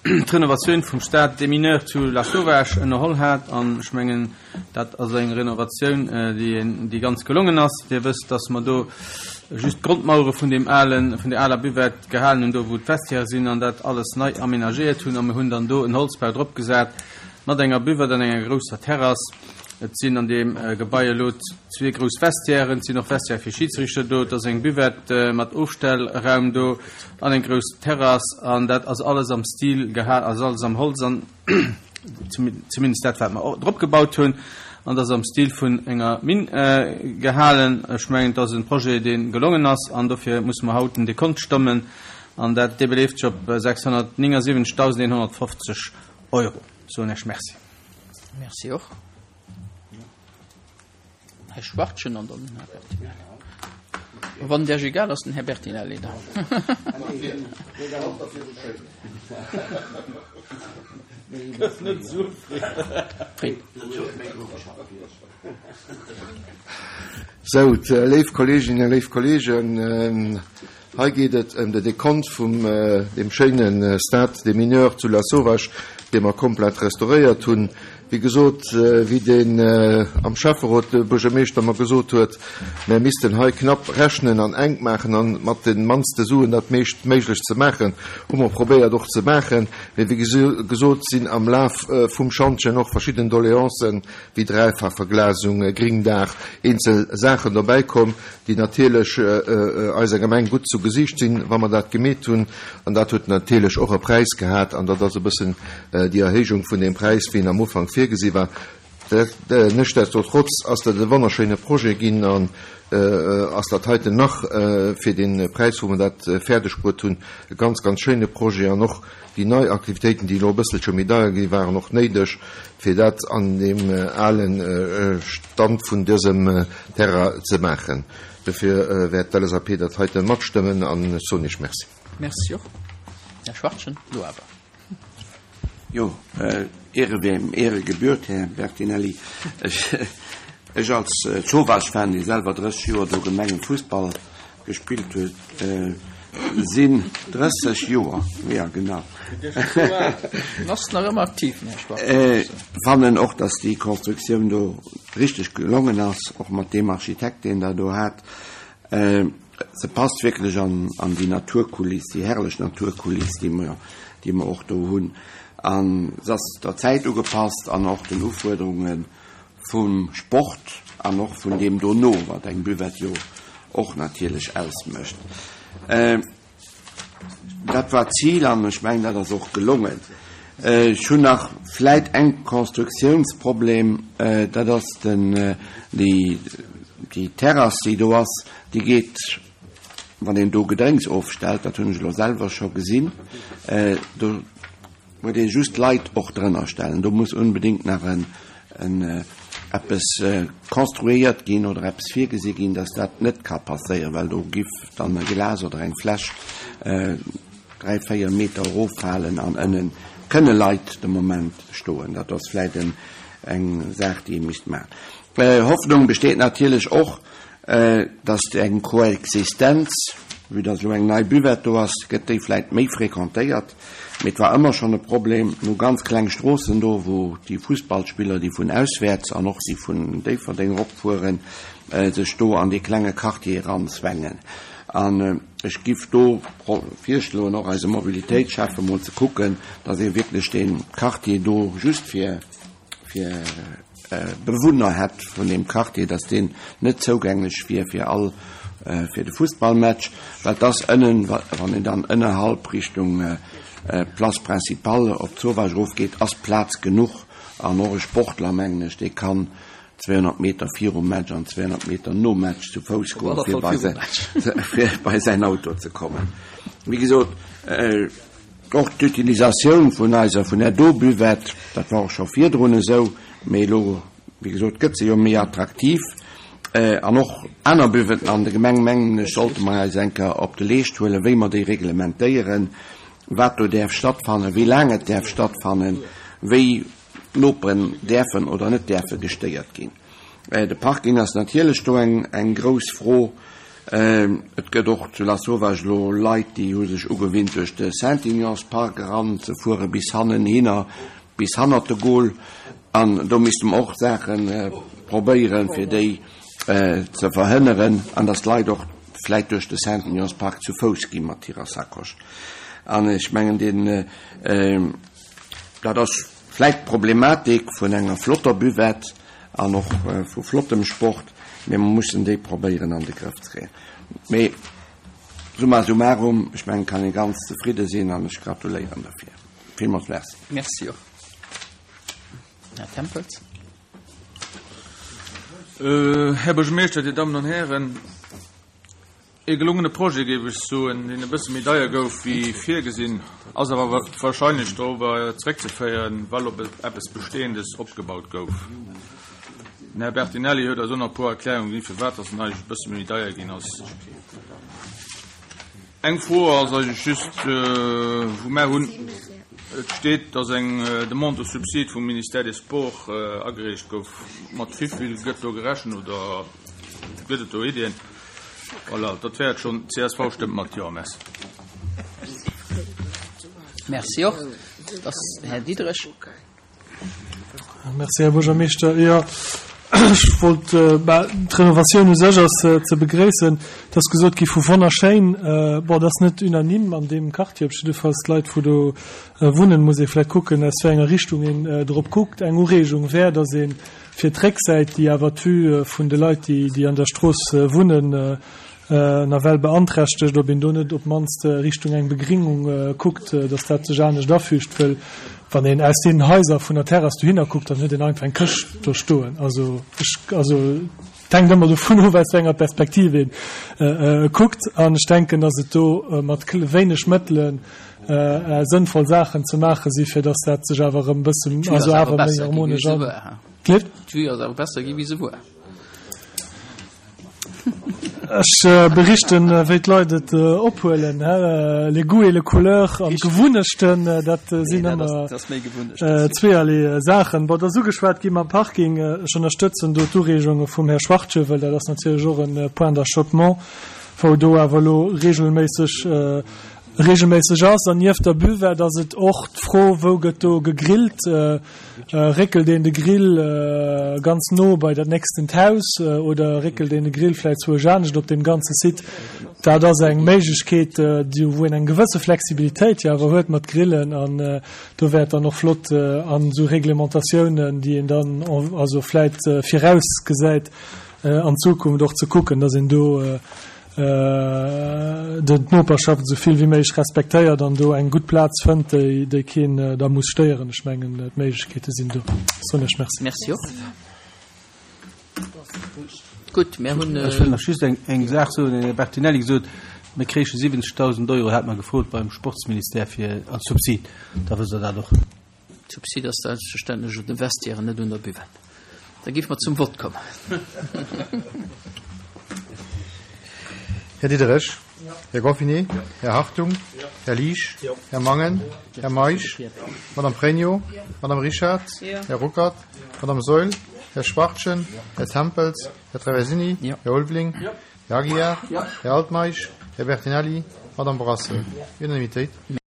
d'Renovatioun vum Stade des Mineurs zu Lasauvage ënnerholl hat. An ech mengen, Dat ass eng Renovatioun, déi ganz gelongen ass. Dir wësst, dass mer do just d'Grondmauere vun deem alen, vun där aler Buvette gehalen hunn, do wou d'Vestiaire sinn, an dat alles nei aménagéiert hunn. A mir hunn dann do en Holzbau drop gesat mat enger Buvette an enger grousser Terrass. Et sinn an deem Gebai elo zwee grouss Vestiairen. Et sinn och Vestiaire fir Schidsrichter do. Et ass eng Buvette mat Ofstellraum do an eng grouss Terrass. An dat ass alles am Stil gehal, ass alles am Holz an. zumindest dat wat mer drop gebaut hunn, an dat ass am Stil vun enger Minn gehalen. Ech mengen, et ass e Projet, dee gelongen ass, an dofir musse mer haut den Dekont stëmmen, an dat, dee beleeft sech op 679.150 Euro. Soen Iech Merci. Merci och. Här Schwachtgen an dann den Här Bertinelli. Wann et Iech egal ass, den Här Bertinelli dann. Sou, léif Kolleeginnen, léif Kolleegen, Hei geet et ëm de Dekont vum deem schéine Stade des Mineurs zu Lasauvage, dee mer komplett restauréiert hunn. Wéi gesot, wéi deen am Schäfferot de Buergermeeschter mer gesot huet, mär missten hei knapp rechnen an enk maachen an mat de mannste Suen dat meescht méiglech ze maachen, hu mer probéiert och ze maachen. Mee wéi gesot sinn am Laf vum Schantjen och verschidden Doleancen, wéi Dräifachverglasung, Gringdaach, eenzel Saachen dobäi komm, déi natierlech eiser Gemeng gutt zu Gesiicht sinn, wa mer dat gemeet hunn. An dat huet natierlech och e Präis gehat, an dat ass e bëssen déi Erhéijung vun deem Präis, wéi en am Ufank virgesi war. Nichtsdestotrotz ass dat e wonnerschéine Projet ginn an ass dat heiten nach fir dee Präis, wou mer dat fäerdeg bruet hunn, e ganz, ganz schéine Projet. An och déi nei Aktivitéiten, déi elo e bësselche méi deier gi waren och néideg, fir dat an deem ale Stand vun dësem Terrain ze maachen. Dofir wäert d'LSAP dat heite matstëmmen an ech soen Iech Merci. Merci och, Här Schwachtgen. Elo awer. Jo, Ehre wem Ehre gebührt, Här Bertinelli. Ech als Zowaasch-Fan, dee selwer 30 Joer do Gemengenfussball gespillt huet, sinn 30 Joer, jo genau. Ass nach ëmmer aktiv, den Här Schwarz. Fannen och, dass déi Konstruktioun do richteg gelongen ass, och mat deem Architekt, deen der do hat. Se passt wierklech an an déi Naturkuliss, déi herrlech Naturkuliss, déi mer, déi mer och do hunn. An se ass der Zäit ugepasst an och den Ufuerderunge vum Sport an och vun deem dono, wat eng Buvette jo och natierlech ausmécht. Dat war d'Zil an ech mengen, dat ass och gelongen. Ech hunn nach vläit eng Konstruktiounsproblem, dat ass den, déi, déi Terrass, déi do ass, déi geet, wann een do Gedrénks ofstellt, dat hunn ech elo selwer scho gesinn, do huet ee just Leit och drënner stellen. Do muss unbedéngt nach en, en. eppes konstruéiert ginn oder eppes virgesi ginn, dass dat net ka passéieren, well do giff dann e Glas oder eng Fläsch 3, 4 Meter eroffalen an ënne kënne Leit de Moment stoen. Dat ass vläicht eng Saach, déi ee misst maachen. Hoffnung besteet natierlech och, dass eng Koexistenz, vue dass elo eng nei Buvette do ass, gëtt déi vläicht méi fréquentéiert. Mee et war ëmmer schonn e Problem, mir hu ganz kleng Stroossen do, wou déi Fussballspiller, déi vun auswäerts an och déi vun Déifferdeng eropfueren, sech do an dee klenge Quartier eranzwängen. An ech giff do virschloen, och eisem Mobilitéitsschäffe mol ze kucken, dass ee wierklech dee Quartier do just fir, fir Bewunner hätt vun deem Quartier, dass deen net zougänglech wier fir all, fir de Fussballmatch, well et ass ënnen, wann een dann ënnerhalb Richtung Place Principale op d'Zowaasch erofgeet, ass Plaz genuch an och e Sportler, mengen ech, dee kann 200 Meter virum Match an 200 Meter nom Match zu Fouss goen, fir bei säin Auto ze kommen. Wéi gesot, Och d'Utilisatioun vun eiser, vun där do Buvette, dat war och scho virdrun esou, mee elo, wéi gesot, gëtt se jo méi attraktiv. An och aner Buvetten an der Gemeng, mengen ech, sollte mer eis eng Kéier op de Leescht huelen, wéi mer déi reglementéieren, wat do däerf stattfannen, wéi laang et däerf stattfannen, wéi d'Noperen däerfen oder net däerfe gestéiert ginn. De Parking ass natierlech do eng grouss Fro. Et gëtt och zu Lasauvage elo Leit, déi hu sech ugewinnt, duerch de Saint-Ignace-Park eran ze fuere bis hannenhinner, bis hannert de Goal. An do misste mer och Saache probéieren, fir déi ze verhënneren an datt d'Leit och vläit duerch de Saint-Ignace-Park zu Fouss gi mat hirer Sacoche. An ech mengen, deen, dat ass vläit d'Problematik vun enger flotter Buvette an och vu flottem Sport, mee mer mussen déi probéieren an de Grëff ze kréien. Mee summa summarum, ech mengen, kann ee ganz zefridde sinn an ech gratuléieren derfir. Villmools Merci. Merci och. Här Tempels. Här Buergermeeschter, Dir Dammen an Hären, Ee gelongene Projet, géif ech soen, deen e bësse méi deier gouf wéi virgesinn, ass awer wahrscheinlech dorobber zeréckzeféieren, well op eppes Bestehendes opgebaut gouf. Den Här Bertinelli huet eis och nach e puer Erklärungen ginn, firwat dass en eigentlech e bësse méi deier ginn ass. Eng Fro ass eigentlech just, wou mär hunn, et steet, dass eng Demande de subside vum Ministère des Sports agereecht gouf. Mat wivill gëtt do gerechent oder gëtt et do Iddien? Voilà, dat wär et schonn. Csv stëmmt mat Jo. Merci. Merci och. Dat ass Här Diderich. Merci, Här Buergermeeschter. Jo, ech wollt, bah, d'Renovatioun u sech ass ze begréissen. Et ass gesot gi vu wonnerschéin. Bon, dat ass net unanime an deem Quartier, op jiddefalls d'Leit, wou do wunnen, muss ee vläicht kucken, aus wéi enger Richtung een drop kuckt. Eng Ureegung wär, datt ee Fir d'Récksäit, déi awer d'Vue vun de Leit, déi an der Strooss wunnen, nawell beanträchtegt, ob een do net op d'mannst Richtung eng Begringung kuckt, datt dat sech anescht afügt. Wëll wann een aus deenen Haiser vun der Terrass dohinner kuckt, dann huet een einfach eng Këscht do stoen. Also ech, also et hänkt ëmmer dovun of, aus wéi enger Perspektiv ee kuckt. An ech denken, datt et do mat wéineg Mëttelen sënnvoll Saachen ze maache si fir datt dat sech awer erëm bëssen, also awer méi harmonesch an. D'Vue ass awer besser gi wéi se wuar. Ech berichten, wéi d'Leit et ophuelen, les goûts et les couleurs an d'Gewunnechten, dat sinn ëmmer zweeërlee Saachen. Bon, et ass ugeschwat gi mam Parking. Ech ënnerstëtzen do d'Ureegunge vum Här Schwachtschewel. Dat ass natierlech och e Point d'achoppement, wou do awer elo regelméisseg regelméisseg ass. An nieft der Buvette ass et och d'Fro, wou gëtt do gegrillt? Réckelt een de Grill ganz no bei dat nächstent Haus oder réckelt een de Grill vläicht zwousch anescht op deem ganze Site? Dat ass eng Méiglechkeet, déi wou een eng gewësse Flexibilitéit jo awer huet mat Grillen. An do wär et dann och flott an esou Reglementatiounen, déi een dann also vläicht virausgesäit an Zukunft och ze kucken, dass een do den d'Noperschaft esou vill wéi méiglech respektéiert an do eng gutt Plaz fënnt, déi déi keen da muss stéieren. Ech mengen, d'Méiglechkeete sinn do. Soen ech Merci. Merci och. Gutt, mir hunn. Ech wëll nach just eng eng Saach soen. Den Här Bertinelli gesot, mir kréiche 70.000 Euro, hat mer gefrot beim Sportsministère fir als Subsid. Da wësst Der dat och. Subsid ass selbstverständlech un de Vestiairen, net un der Buvette. Da géife mer zum Vott kommen. Här Diderich. Här Goffinet. Här Hartung. Här Liesch. Här Mangen. Här Meisch. Madame Pregno. Madame Richard. Här Ruckert. Madame Saeul. Här Schwachtgen. Här Tempels. Här Traversini. Här Ulveling. Här Aguiar. Här Altmeisch. Här Bertinelli. Madame Brasseur. Unanimitéit.